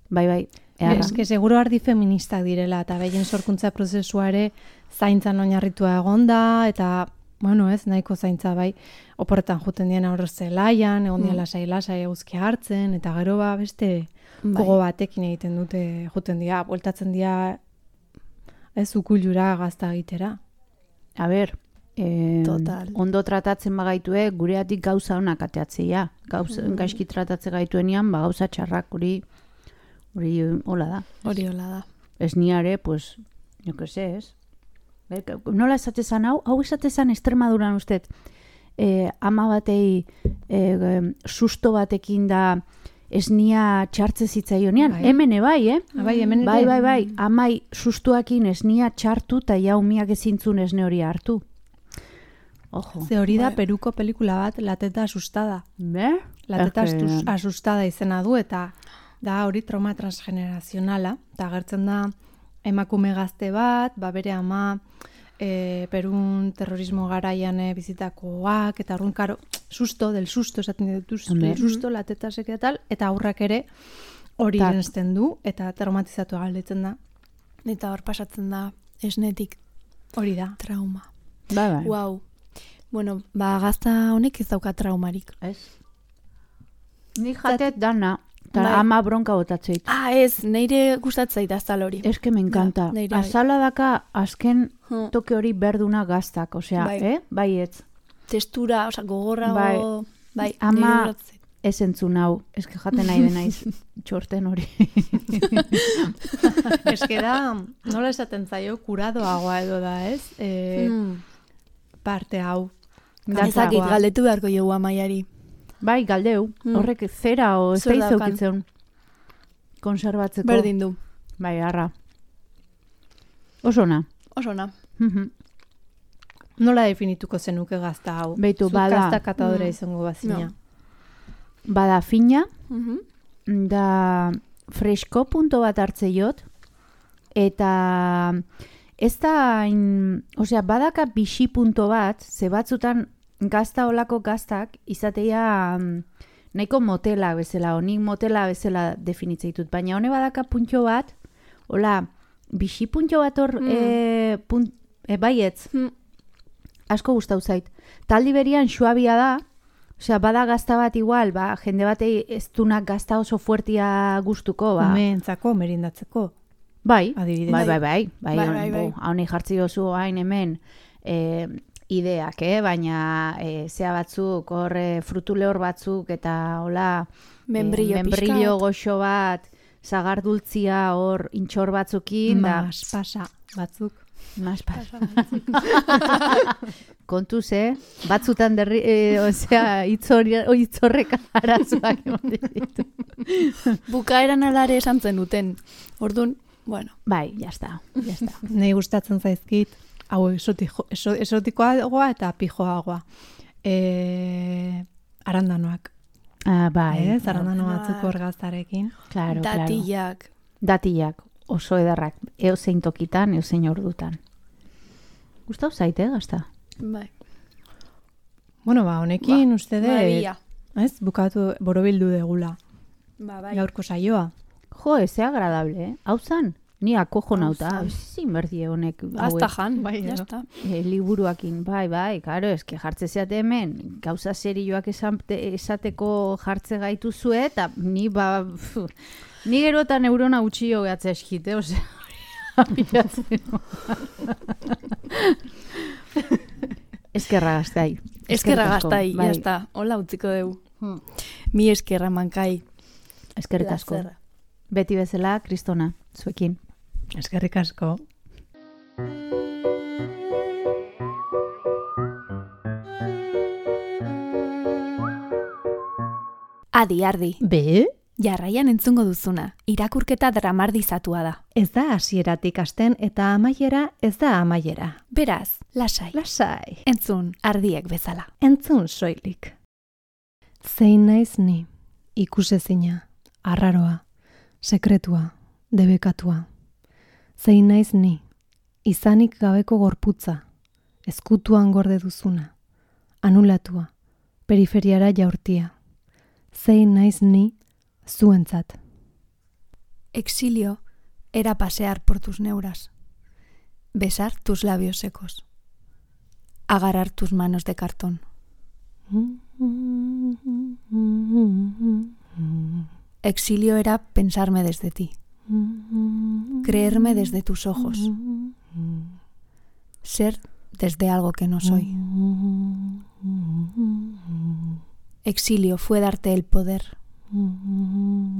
bai, bai, eharra. Eske, seguro ardi feministak direla, eta behien sorkuntza prozesua ere zaintzan oinarritua egonda, eta, bueno, ez, nahiko zaintza, bai, oporretan juten dien aurre zelaian, egon dien lasai lasai eguzkia hartzen, eta gero ba, beste... Bai. Gogo batekin egiten dute, juten dira, bueltatzen dira ez ukuilura gazta egitera. A ber, eh, ondo tratatzen bagaitue, gureatik gauza honak ateatzea. Gauza, mm. Gaizki tratatzen gaituenean, ba, gauza txarrak hori, hori hola da. Hori hola da. Ez niare, pues, jo que se, ez? Nola esatezan hau? Hau esatezan Extremaduran usted, eh, ama batei eh, susto batekin da esnia txartze zitzaionean. Bai. Hemen bai, eh? Ah, bai, hemen Bai, ere. bai, bai. Amai sustuakin esnia txartu eta jaumiak ezintzun esne hori hartu. Ojo. Ze hori da Bai. Peruko pelikula bat, La teta asustada. Be? La teta Eske- astuz- asustada izena du eta da hori trauma transgenerazionala. Eta agertzen da emakume gazte bat, ba bere ama e, Perun terrorismo garaian e, bizitakoak, eta orduan, karo, susto, del susto, esaten dituz, Hombre. del susto, la teta sekia tal, eta aurrak ere hori Tak. eransten du, eta traumatizatu galditzen da. Eta hor pasatzen da esnetik Hori da. trauma. Bai, bai. Wow. Bueno, ba gazta honek ez dauka traumarik. Ez. Ni jatet dana, eta Bai. ama bronka botatzeit. Ah, ez, neire gustatzait azal hori. Es que me encanta. Ja, neire bai. Azala daka azken Hmm. toke hori berduna gaztak, osea, Bai. eh? Bai ez. Textura, osea, gogorra Bai. bai. bai, Ama- neire gustatzait. Ez entzun hau, eske jaten nahi denaiz txorten hori. Eske da, nola esaten zaio, kuradoagoa edo da, ez? E, Hmm. Parte hau. Ezakit, Kantakoa. galdetu beharko jogu amaiari. Bai, galdeu, Hmm. horrek zera o ez Zer da daukan? izukitzen konserbatzeko. Berdin du. Bai, arra. Oso ona. Oso na. Mhm. Nola definituko zenuke gazta hau? Beitu, Zuk bada. gazta katadora Mm. izango bazina. No. Bada fina, Mhm. da fresko punto bat hartze jot, eta ez da, in, osea, badaka bixi punto bat, ze batzutan gazta olako gaztak izatea mm, nahiko motela bezala, honik motela bezala definitzea ditut, baina hone badaka puntxo bat, hola, bixi puntxo bat hor, Mm. e, punt, e, baietz, Hmm. asko gustau zait. Taldi berian suabia da, osea, bada gazta bat igual, ba, jende batei ez dunak gazta oso fuertia gustuko, ba. Umeentzako, merindatzeko. Bai, Adibidez. bai, bai, bai, bai, Bai, bai, bai. hauni jartzi dozu hain hemen e, ideak, eh? Baina e, zea batzuk, hor e, frutu lehor batzuk, eta hola, Membrillo e, membrillo pixkat. goxo bat, zagardultzia hor intxor batzukin, da, Mas pasa batzuk. mas pasa. Kontuz, eh? Batzutan derri, e, osea, hitzorrek arazoak ematen ditu. Bukaeran alare esan zen duten. Orduan, bueno. Bai, jazta, jazta. Nei gustatzen zaizkit, hau esotiko, eso, esotikoagoa eta pijoagoa. E, arandanoak. Ah, bai, Ez, arandano Bai. batzuk hor gaztarekin. claro, claro. Datillak. Datillak, oso ederrak, eozein tokitan, eozein ordutan. Gustau zaite, eh, gazta? Bai. Bueno, ba, honekin Ba, uste dut, maravilla. ez, bukatu, borobildu degula. Ba, bai. Gaurko saioa. Jo, eze agradable, eh? Hau zan, ni akojo Hau nauta, zan. zin berdie honek. Hasta hauek, jan. Bai, ya edo. está. eh, liburuakin, bai, bai, karo, eske jartze zeate hemen, gauza serioak esate, esateko jartze gaitu zue, eta ni, ba, pfu, ni gero eta neurona utxio gehatzea eskite, osea, pilatzen. Eskerra gaztai. Eskerra Eskerrik asko, gaztai, bai. ya está. Hola utziko dugu. Hmm. Mi eskerra mankai. Eskerrik asko. Plazerra. Beti bezala, kristona, zuekin. Eskerrik asko. Adi, ardi. Be? Jarraian entzungo duzuna. Irakurketa dramardizatua da. Ez da hasieratik hasten eta amaiera ez da amaiera. Beraz, lasai. Lasai. Entzun, ardiek bezala. Entzun soilik. Zein naiz ni, ikusezina, arraroa, sekretua, debekatua. Zein naiz ni, izanik gabeko gorputza, ezkutuan gorde duzuna, anulatua, periferiara jaurtia. Zein naiz ni, zuentzat. Exilio era pasear por tus neuras, besar tus labios secos, agarrar tus manos de cartón. Exilio era pensarme desde ti, creerme desde tus ojos, ser desde algo que no soy. Exilio fue darte el poder,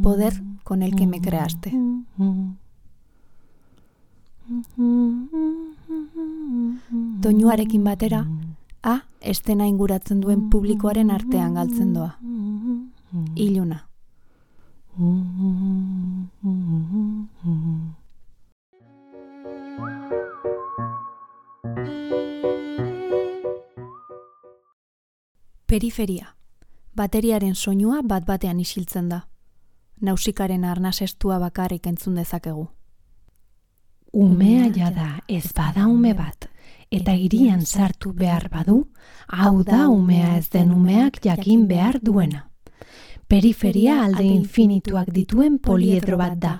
poder con el que me creaste. Doinuarekin batera, A estena inguratzen duen publikoaren artean galtzen doa. Iluna. Periferia. Bateriaren soinua bat-batean isiltzen da. Nausikaren arnasestua bakarrik entzun dezakegu. Umea jada ez bada ume bat, eta hirian sartu behar badu, hau da umea ez den umeak jakin behar duena. Periferia alde infinituak dituen poliedro bat da.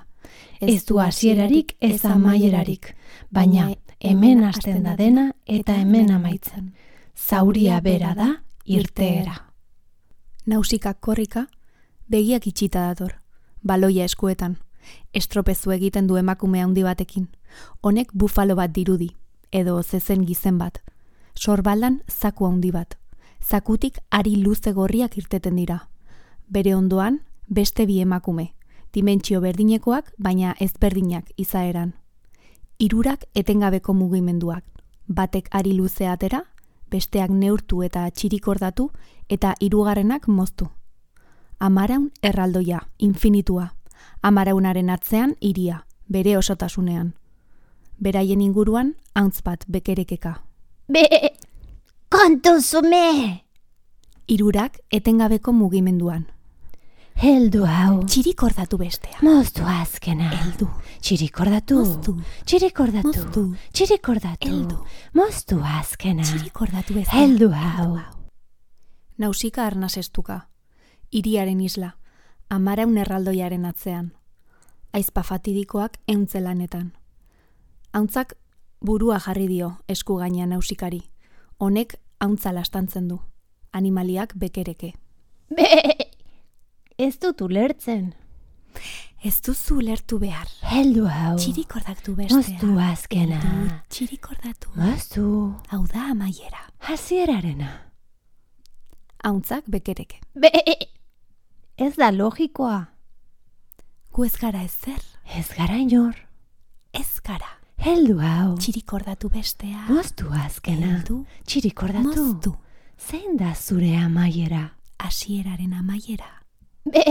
Ez du hasierarik ez amaierarik, baina hemen hasten da dena eta hemen amaitzen. Zauria bera da irteera. Nausikak korrika, begiak itxita dator, baloia eskuetan, estropezu egiten du emakume handi batekin. Honek bufalo bat dirudi, edo zezen gizen bat. Sorbaldan zaku handi bat. Zakutik ari luze gorriak irteten dira. Bere ondoan, beste bi emakume, dimentsio berdinekoak, baina ezberdinak izaeran. Hirurak etengabeko mugimenduak, batek ari luze atera, besteak neurtu eta txirikordatu, eta hirugarrenak moztu. Amaraun erraldoia, infinitua. Amaraunaren atzean hiria, bere osotasunean. Beraien inguruan, hauntz bat bekerekeka. Be, kontuzume! Hirurak etengabeko mugimenduan. Heldu hau. Txirikordatu bestea. Moztu azkena. Heldu. Txirikordatu. Moztu. Txirikordatu. Moztu. Txirikordatu. Heldu. Moztu azkena. Txirikordatu bestea. Heldu hau. Nausika arnasestuka. Hiriaren isla. Amaraun erraldoiaren atzean. Aizpa fatidikoak euntzelanetan. Hauntzak burua jarri dio esku gainean nausikari. Honek hauntza lastantzen du. Animaliak bekereke. Be, ez dut ulertzen. Ez duzu ulertu behar. Heldu hau. Txirikordatu bestea. Moztu azkena. Heldu, txirikordatu. Moztu. Hau da amaiera. Hasierarena. Hauntzak bekereke. Be, ez da logikoa. Gu ez gara ezer. Ez gara inor. Ez gara. Heldu hau. Txirikordatu bestea. Moztu azkena. Heldu. Txirikordatu. Moztu. Zein da zure amaiera? Hasieraren amaiera. Be,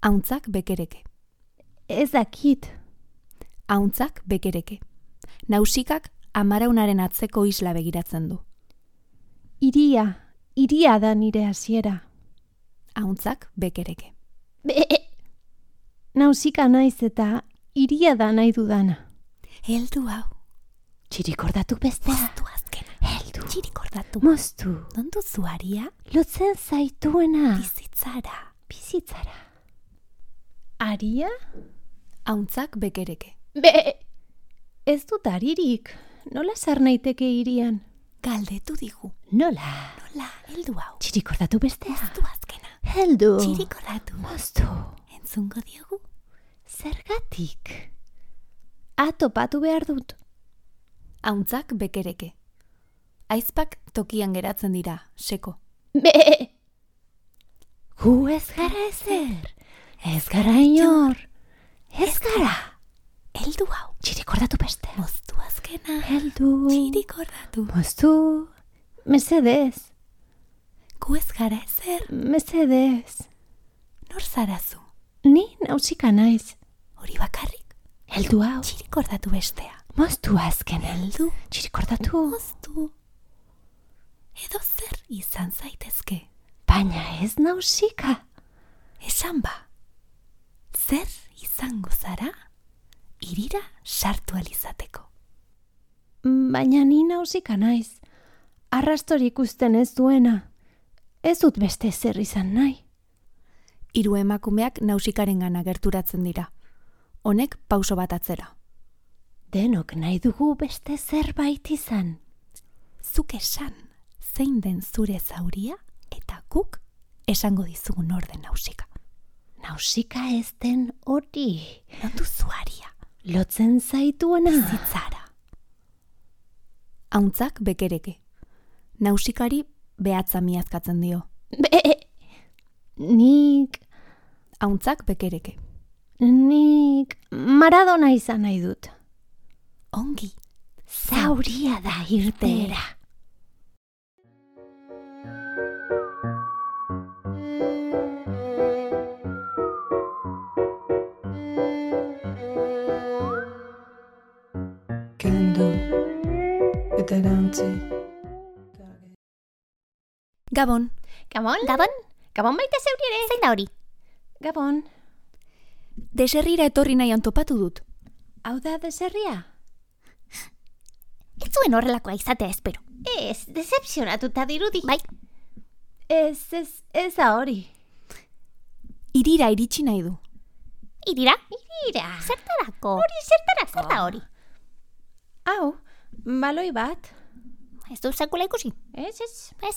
Hauntzak bekereke. ez dakit. Hauntzak bekereke. Nausikak amaraunaren atzeko isla begiratzen du. Iria, iria da nire hasiera. Hauntzak bekereke. Be, nausika naiz eta iria da nahi dudana. Heldu hau. Txirikordatu bestea. Moztu azkena. Heldu. Txirikordatu. Moztu. Non duzu aria? Lotzen zaituena. Bizitzara. Bizitzara. Aria? Hauntzak bekereke. Be, ez dut aririk. Nola sar naiteke irian? Galdetu digu. Nola? Nola, heldu hau. Txirikordatu bestea. Moztu azkena. Heldu. Txirikordatu. Moztu. Entzungo diogu. Zergatik? Atopatu behar dut. Hauntzak bekereke. Aizpak tokian geratzen dira, seko. Be, gu ez gara ezer. Ez gara inor. Ez gara. Heldu hau. Txirikordatu bestea. Moztu azkena. Heldu. Txirikordatu. Moztu. Mesedez. Gu ez gara ezer. Mesedez. Nor zarazu. Ni nausika naiz. Hori bakarrik. Heldu hau. Txirikordatu bestea. Moztu azkena. Heldu. Txirikordatu. Moztu. Edo zer izan zaitezke. Baina ez nausika. Esan ba. Zer izango zara? Irira sartu alizateko. Baina ni nausika naiz. Arrastorik ikusten ez duena. Ez dut beste zer izan nahi. Hiru emakumeak nausikaren gana gerturatzen dira. Honek pauso bat atzera. Denok nahi dugu beste zerbait izan. Zuk esan, zein den zure zauria, eta guk esango dizugu nor den nausika. Nausika ez den hori. Non duzu aria. Lotzen zaituena. Bizitzara. Hauntzak bekereke. Nausikari behatza miazkatzen dio. Be, nik, Hauntzak bekereke. nik Maradona izan nahi dut. Ongi. Zauria da irteera. kendu eta erantzi. Gabon. Gabon? Gabon? Gabon baita zeuri ere? Zein da hori? Gabon. Deserrira etorri nahian topatu dut. Hau da deserria? Ez zuen horrelakoa izatea espero. Ez, decepzionatuta dirudi. Bai. Ez, ez, ez da hori. Irira iritsi nahi du. Irira? Irira. Zertarako? Hori zertarako? Zer da hori? Hau, baloi bat. Ez du sekula ikusi? Ez, ez. Ez,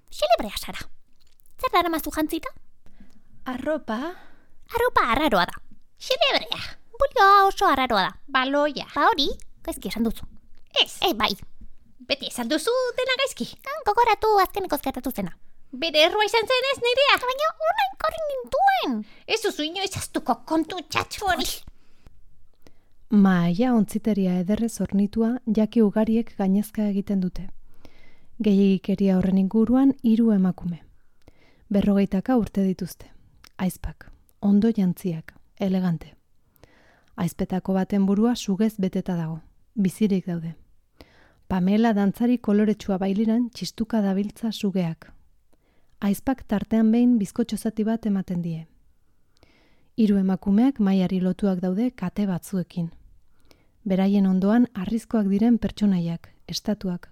xelebrea zara. Zer dara mazu jantzita? Arropa. Arropa arraroa da. Xelebrea. Bulioa oso arraroa da. Baloia. Ba hori, gaizki esan duzu. Ez. E, bai. Beti esan duzu dena gaizki. Han, gogoratu azkeneko gertatu zena. Bere errua izan zen ez nirea. Baina orain korri nintuen. Ez duzu inoiz aztuko kontu txatxo hori. Maia ontziteria ederrez hornitua jaki ugariek gainezka egiten dute. Gehiagikeria horren inguruan hiru emakume. Berrogeitaka urte dituzte. Aizpak, ondo jantziak, elegante. Aizpetako baten burua sugez beteta dago. Bizirik daude. Pamela dantzari koloretsua bailiran txistuka dabiltza sugeak. Aizpak tartean behin bizkotxo zati bat ematen die. Hiru emakumeak Maiari lotuak daude kate batzuekin. Beraien ondoan harrizkoak diren pertsonaiak, estatuak.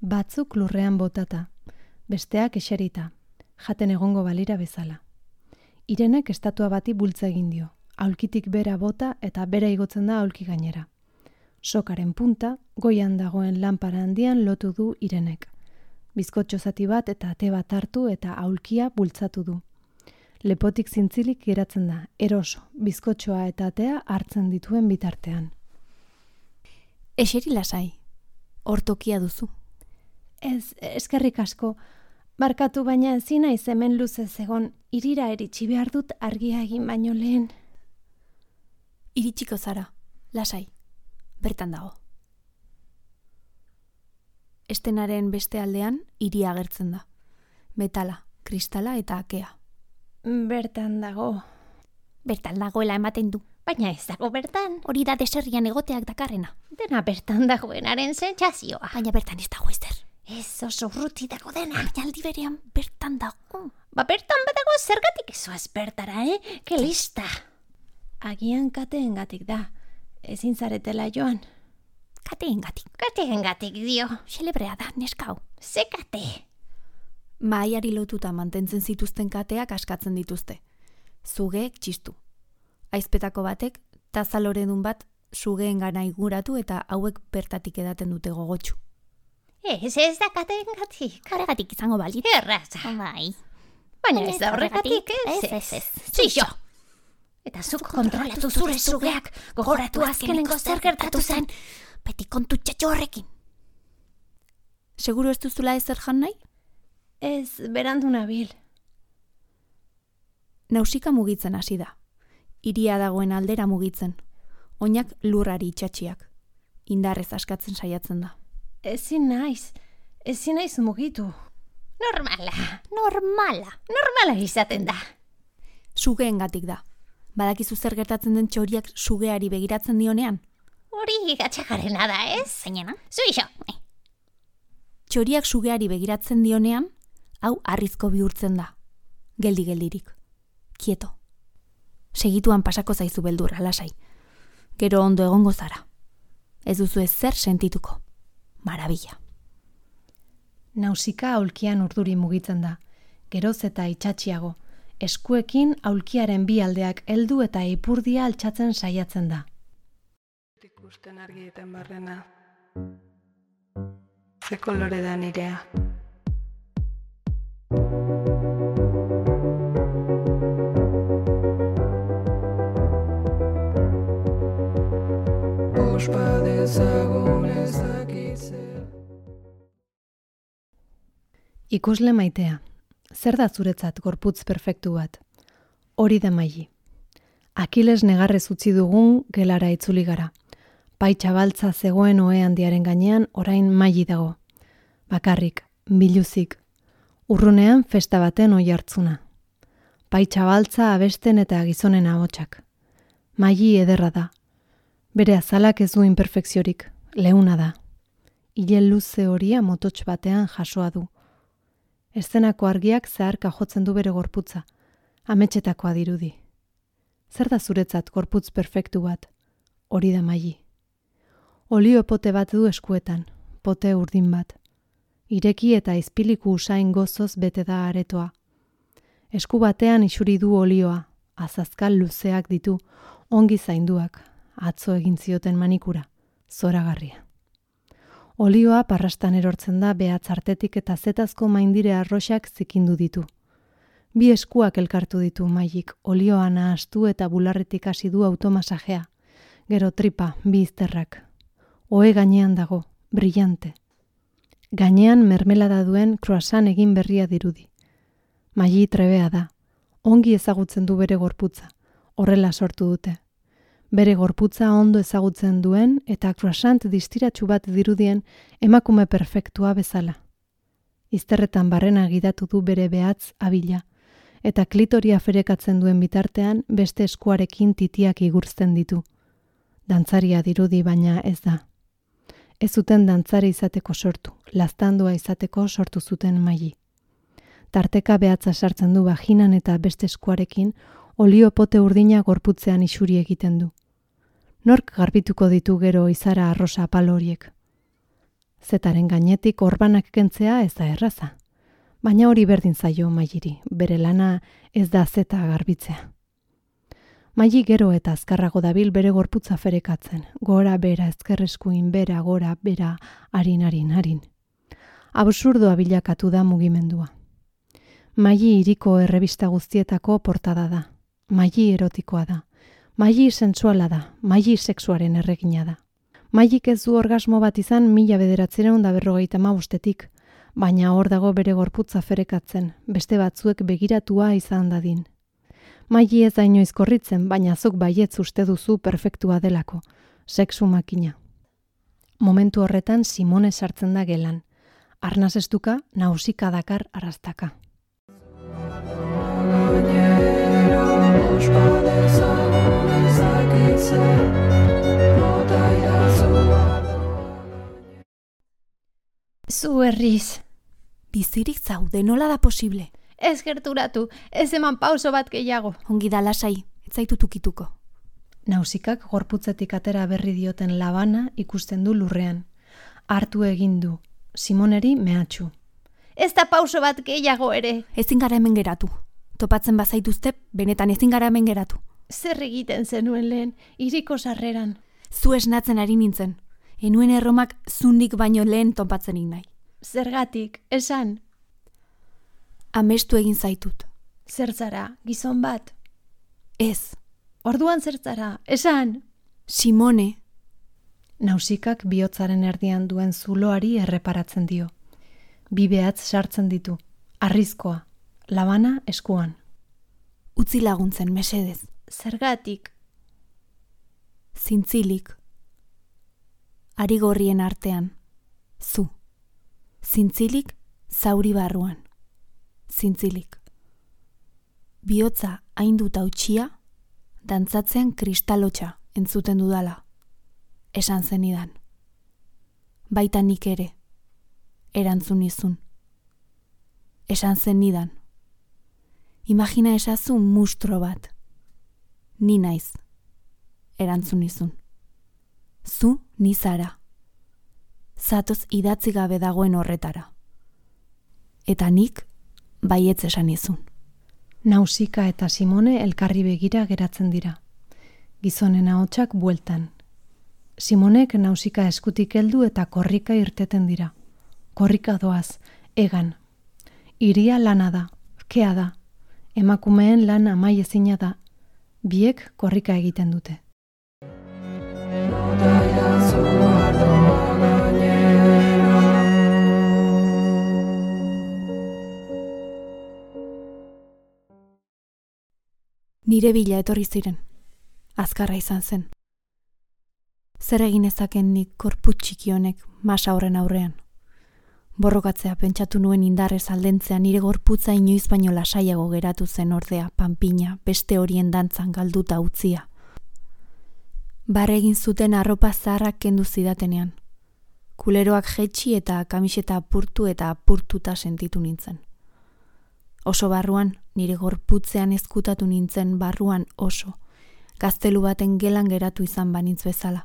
Batzuk lurrean botata, besteak eserita, jaten egongo balira bezala. Irenek estatua bati bultza egin dio, aulkitik bera bota eta bera igotzen da aulki gainera. Sokaren punta, goian dagoen lanpara handian lotu du Irenek. Bizkotxo zati bat eta ate bat hartu eta aulkia bultzatu du. Lepotik zintzilik geratzen da, eroso, bizkotxoa eta atea hartzen dituen bitartean. Eseri lasai, hortokia duzu. Ez, eskerrik asko. Barkatu baina ezin naiz hemen luzez egon, irira eritsi behar dut argia egin baino lehen. Iritsiko zara, lasai, bertan dago. Estenaren beste aldean hiria agertzen da. Metala, kristala eta akea. Bertan dago. Bertan dagoela ematen du. Baina ez dago bertan. Hori da deserrian egoteak dakarrena. Dena bertan dagoenaren sentsazioa. Baina bertan ez dago ezer. Ez oso urruti dago dena. Baina aldi berean bertan dago. Ba bertan badago zergatik ezoaz bertara, eh? Ke lista. Agian kateengatik da. Ezin zaretela joan. Kateengatik. Kateengatik dio. Xelebrea da, neskau. Ze kate. Maiari lotuta mantentzen zituzten kateak askatzen dituzte. Zugeek txistu. Aizpetako batek, tazaloredun bat sugeen gana iguratu eta hauek bertatik edaten dute gogotsu. Ez, ez da kateengatik. Horregatik izango balit. Erraza. Bai. Baina ez da horregatik, ez, ez, ez, ez. Zuixo. Eta zuk kontrolatu zure sugeak, gogoratu azkenengo zer gertatu zen. Beti kontu txatxo horrekin. Seguru ez duzula ezer jan nahi? Ez, berandu nabil. Nausika mugitzen hasi da. Hiria dagoen aldera mugitzen. Oinak lurrari itxatxiak. Indarrez askatzen saiatzen da. Ezin naiz, ezin naiz mugitu. Normala, Normala. normala izaten da. Sugeengatik da. Badakizu zer gertatzen den txoriak sugeari begiratzen dionean? Hori gatxagarena da, ez? Zainena? Zuixo. Txoriak sugeari begiratzen dionean, hau harrizko bihurtzen da. Geldi-geldirik. Kieto. Segituan pasako zaizu beldurra, lasai. Gero ondo egongo zara. Ez duzu ezer sentituko. Marabila. Nausika aulkian urduri mugitzen da. Geroz eta itxatxiago. Eskuekin aulkiaren bi aldeak heldu eta ipurdia altxatzen saiatzen da. Ikusten argietan barrena. Ze kolore da nirea. Ospa dezagun ezakitzer. Ikusle maitea. Zer da zuretzat gorputz perfektu bat? Hori da Maili. Akiles negarrez utzi dugun gelara itzuli gara. Paitxa baltza zegoen ohe handiaren gainean orain Maili dago. Bakarrik, biluzik. Urrunean festa baten oi hartzuna. Paitxa baltza abesten eta gizonen ahotsak. Maili ederra da. Bere azalak ez du imperfekziorik, leuna da. Ile luze horia mototx batean jasoa du. Eszenako argiak zeharka jotzen du bere gorputza, ametsetakoa dirudi. Zer da zuretzat gorputz perfektu bat? Hori da Maili. Olio pote bat du eskuetan, pote urdin bat. Ireki eta izpiliku usain gozoz bete da aretoa. Esku batean isuri du olioa, azazkal luzeak ditu, ongi zainduak, atzo egin zioten manikura, zoragarria. Olioa parrastan erortzen da behatz artetik eta zetazko maindire arroxak zikindu ditu. Bi eskuak elkartu ditu Mailik, olioa nahastu eta bularretik hasi du automasajea. Gero tripa, bi izterrak. Ohe gainean dago, brillante. Gainean mermelada duen croissant egin berria dirudi. Maili trebea da, ongi ezagutzen du bere gorputza, horrela sortu dute. Bere gorputza ondo ezagutzen duen eta croissant distiratsu bat dirudien emakume perfektua bezala. Izterretan barrena gidatu du bere behatz abila, eta klitoria ferekatzen duen bitartean beste eskuarekin titiak igurzten ditu. Dantzaria dirudi baina ez da. Ez zuten dantzari izateko sortu, laztandua izateko sortu zuten Maili. Tarteka behatza sartzen du vaginan eta beste eskuarekin olio pote urdina gorputzean isuri egiten du. Nork garbituko ditu gero izara arrosa apal horiek? Zetaren gainetik orbanak kentzea ez da erraza. Baina hori berdin zaio Mailiri, bere lana ez da zeta garbitzea. Maili gero eta azkarrago dabil bere gorputza ferekatzen, gora bera ezkerreskuin bera gora bera harin harin harin. Absurdoa bilakatu da mugimendua. Maili hiriko errebista guztietako portada da. Maili erotikoa da. Maili sensuala da. Maili sexuaren erregina da. Mailik ez du orgasmo bat izan mila bederatziehun eta berrogeita hamabostetik, baina hor dago bere gorputza ferekatzen, beste batzuek begiratua izan dadin. Maili ez da inoiz korritzen, baina zuk baietz uste duzu perfektua delako, sexu makina. Momentu horretan Simone sartzen da gelan. Arnaz estuka, nausika dakar arrastaka. Zu herriz. Bizirik zaude, nola da posible? Ez gerturatu, ez eman pauso bat gehiago. Ongi da lasai, ez zaitu tukituko. Nausikak gorputzetik atera berri dioten labana ikusten du lurrean. Hartu egin du, Simoneri mehatxu. Ez da pauso bat gehiago ere. Ezin gara hemen geratu. Topatzen bazaituzte, benetan ezin gara hemen geratu. Zer egiten zenuen lehen, hiriko sarreran. Zu esnatzen ari nintzen. Enuen erromak zundik baino lehen topatzenik nahi. Zergatik, esan. Amestu egin zaitut. Zer zara, gizon bat? Ez. Orduan zer zara, esan. Simone. Nausikak bihotzaren erdian duen zuloari erreparatzen dio. Bi behatz sartzen ditu, arrizkoa, labana eskuan. Utzi laguntzen, mesedez. Zergatik. Zintzilik. Ari gorrien artean. Zu. Zintzilik, zauri barruan. Zintzilik. Bihotza hainduta utxia, dantzatzean kristalotxa entzuten dudala. Esan zenidan. Baita nik ere. Erantzun izun. Esan zenidan. Imagina esazu mustro bat. Ni naiz. Erantzun izun. Zu ni zara. Zatoz idatzi gabe dagoen horretara. Eta nik baietz esan izun. Nausika eta Simone elkarri begira geratzen dira. Gizonen ahotsak bueltan. Simonek Nausika eskutik heldu eta korrika irteten dira. Korrika doaz, egan. Iria lana da, kea da. Emakumeen lan amaiezina da. Biek korrika egiten dute. Nire bila etorri ziren. Azkarra izan zen. Zer egin ezaken nik korputz txiki honek masa horren aurrean. Borrokatzea pentsatu nuen indarrez aldentzea nire gorputza inoiz baino lasaiago geratu zen ordea, panpina, beste horien dantzan galduta utzia. Barre egin zuten arropa zaharrak kendu zidatenean. Kuleroak jetxi eta kamiseta apurtu eta apurtuta sentitu nintzen. Oso barruan, nire gorputzean ezkutatu nintzen barruan oso, gaztelu baten gelan geratu izan banintz bezala.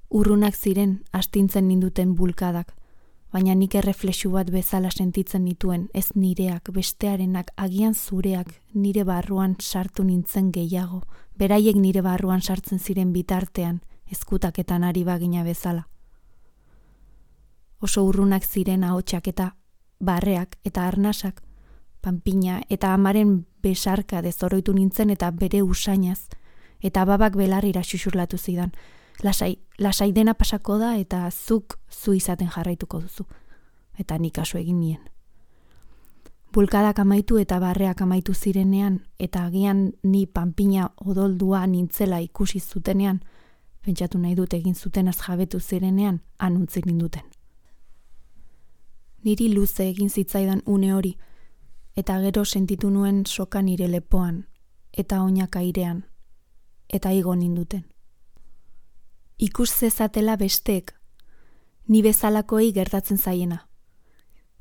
Urrunak ziren astintzen ninduten bulkadak, baina nik erreflexu bat bezala sentitzen nituen, ez nireak, bestearenak, agian zureak, nire barruan sartu nintzen gehiago, beraiek nire barruan sartzen ziren bitartean, ezkutaketan ari bagina bezala. Oso urrunak ziren ahotsak eta barreak eta arnasak, panpina eta amaren besarka dezoroitu nintzen eta bere usainaz, eta babak belarrira xuxurlatu zidan. Lasai, lasai dena pasako da eta zuk zu izaten jarraituko duzu. Eta nik kasu egin nien. Bulkadak amaitu eta barreak amaitu zirenean, eta agian ni panpina odoldua nintzela ikusi zutenean, pentsatu nahi dut egin zutenaz jabetu zirenean, anuntzik ninduten. Niri luze egin zitzaidan une hori, eta gero sentitu nuen soka nire lepoan, eta oinak airean, eta igo ninduten. Ikus zezatela besteek, ni bezalakoei gertatzen zaiena.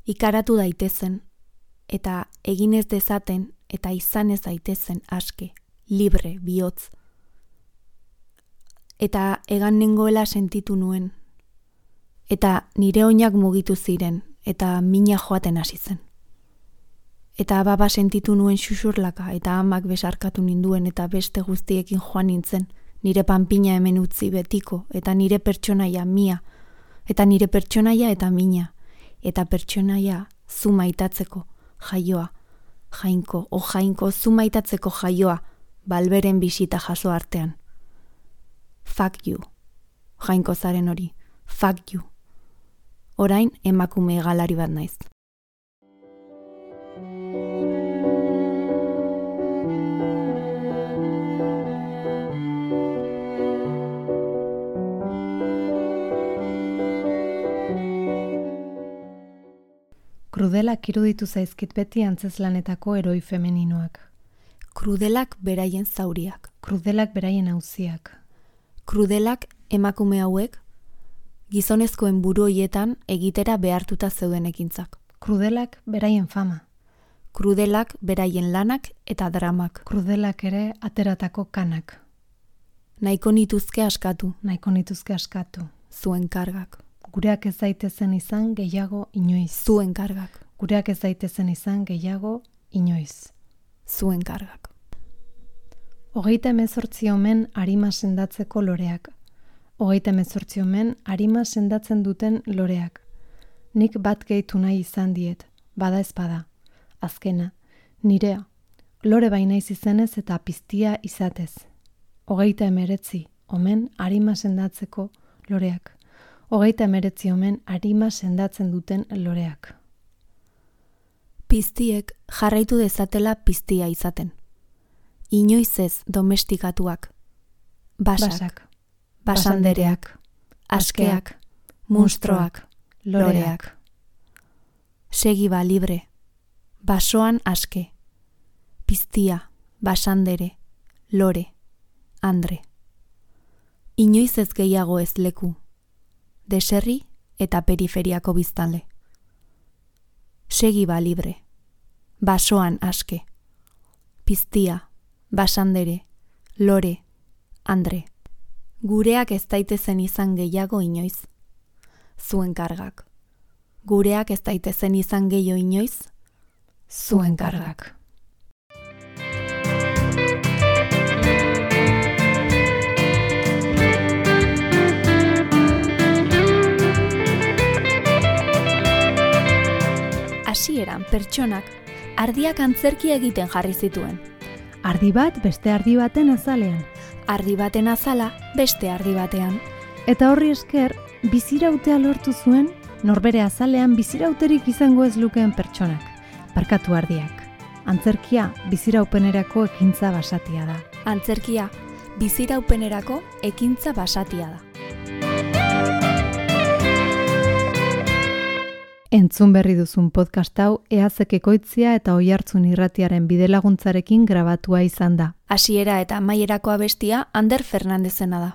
Ikaratu daitezen, eta eginez dezaten, eta izanez daitezen aske, libre, bihotz. Eta egan nengoela sentitu nuen. Eta nire oinak mugitu ziren, eta mina joaten hasi zen. Eta baba sentitu nuen xuxurlaka, eta amak besarkatu ninduen, eta beste guztiekin joan nintzen, nire panpina hemen utzi betiko, eta nire pertsonaia mia, eta nire pertsonaia eta mina, eta pertsonaia zu maitatzeko jaioa, jainko, o jainko zu maitatzeko jaioa, balberen bisita jaso artean. Fuck you, jainko zaren hori, fuck you. Orain emakume egalari bat naiz. Krudelak iruditu zaizkit beti antzezlanetako eroi femeninoak. Krudelak beraien zauriak. Krudelak beraien auziak. Krudelak emakume hauek, gizonezkoen buru hoietan egitera behartuta zeuden ekintzak. Krudelak beraien fama. Krudelak beraien lanak eta dramak. Krudelak ere ateratako kanak. Nahiko nituzke askatu. Nahiko nituzke askatu. Zuen kargak. Gureak ez daitezen izan gehiago inoiz. Zuen kargak. Gureak ez daitezen izan gehiago inoiz. Zuen kargak. Hogeita hemezortzi omen arima sendatzeko loreak. Hogeita hemezortzi omen arima sendatzen duten loreak. Nik bat gehitu nahi izan diet, bada ez bada. Azkena, nirea, lore bainaiz izenez eta piztia izatez. Hogeita hemeretzi omen arima sendatzeko loreak. Hogeita hemeretzi omen arima sendatzen duten loreak. Piztiek jarraitu dezatela piztia izaten. Inoiz ez domestikatuak. Basak, Basak, basandereak, askeak, munstroak, loreak. Segi ba libre, basoan aske, piztia, basandere, lore, andre. Inoiz ez gehiago ez leku, deserri eta periferiako biztanle. Segi ba libre, basoan aske, piztia, basandere, lore, andre. Gureak ez daitezen izan gehiago inoiz. Zuen kargak. Gureak ez daitezen izan gehiago inoiz. Zuen kargak. Hasieran pertsonak ardiak antzerkia egiten jarri zituen. Ardi bat beste ardi baten azalean. Ardi baten azala beste ardi batean. Eta horri esker, bizirautea lortu zuen, norbere azalean bizirauterik izango ez lukeen pertsonak. Barkatu ardiak. Antzerkia biziraupenerako ekintza basatia da. Antzerkia biziraupenerako ekintza basatia da. Entzun berri duzun podcast hau Eazek Ekoitzia eta Oihartzun Irratiaren bidelaguntzarekin grabatua izan da. Hasiera eta amaierako abestia Ander Fernandezena da.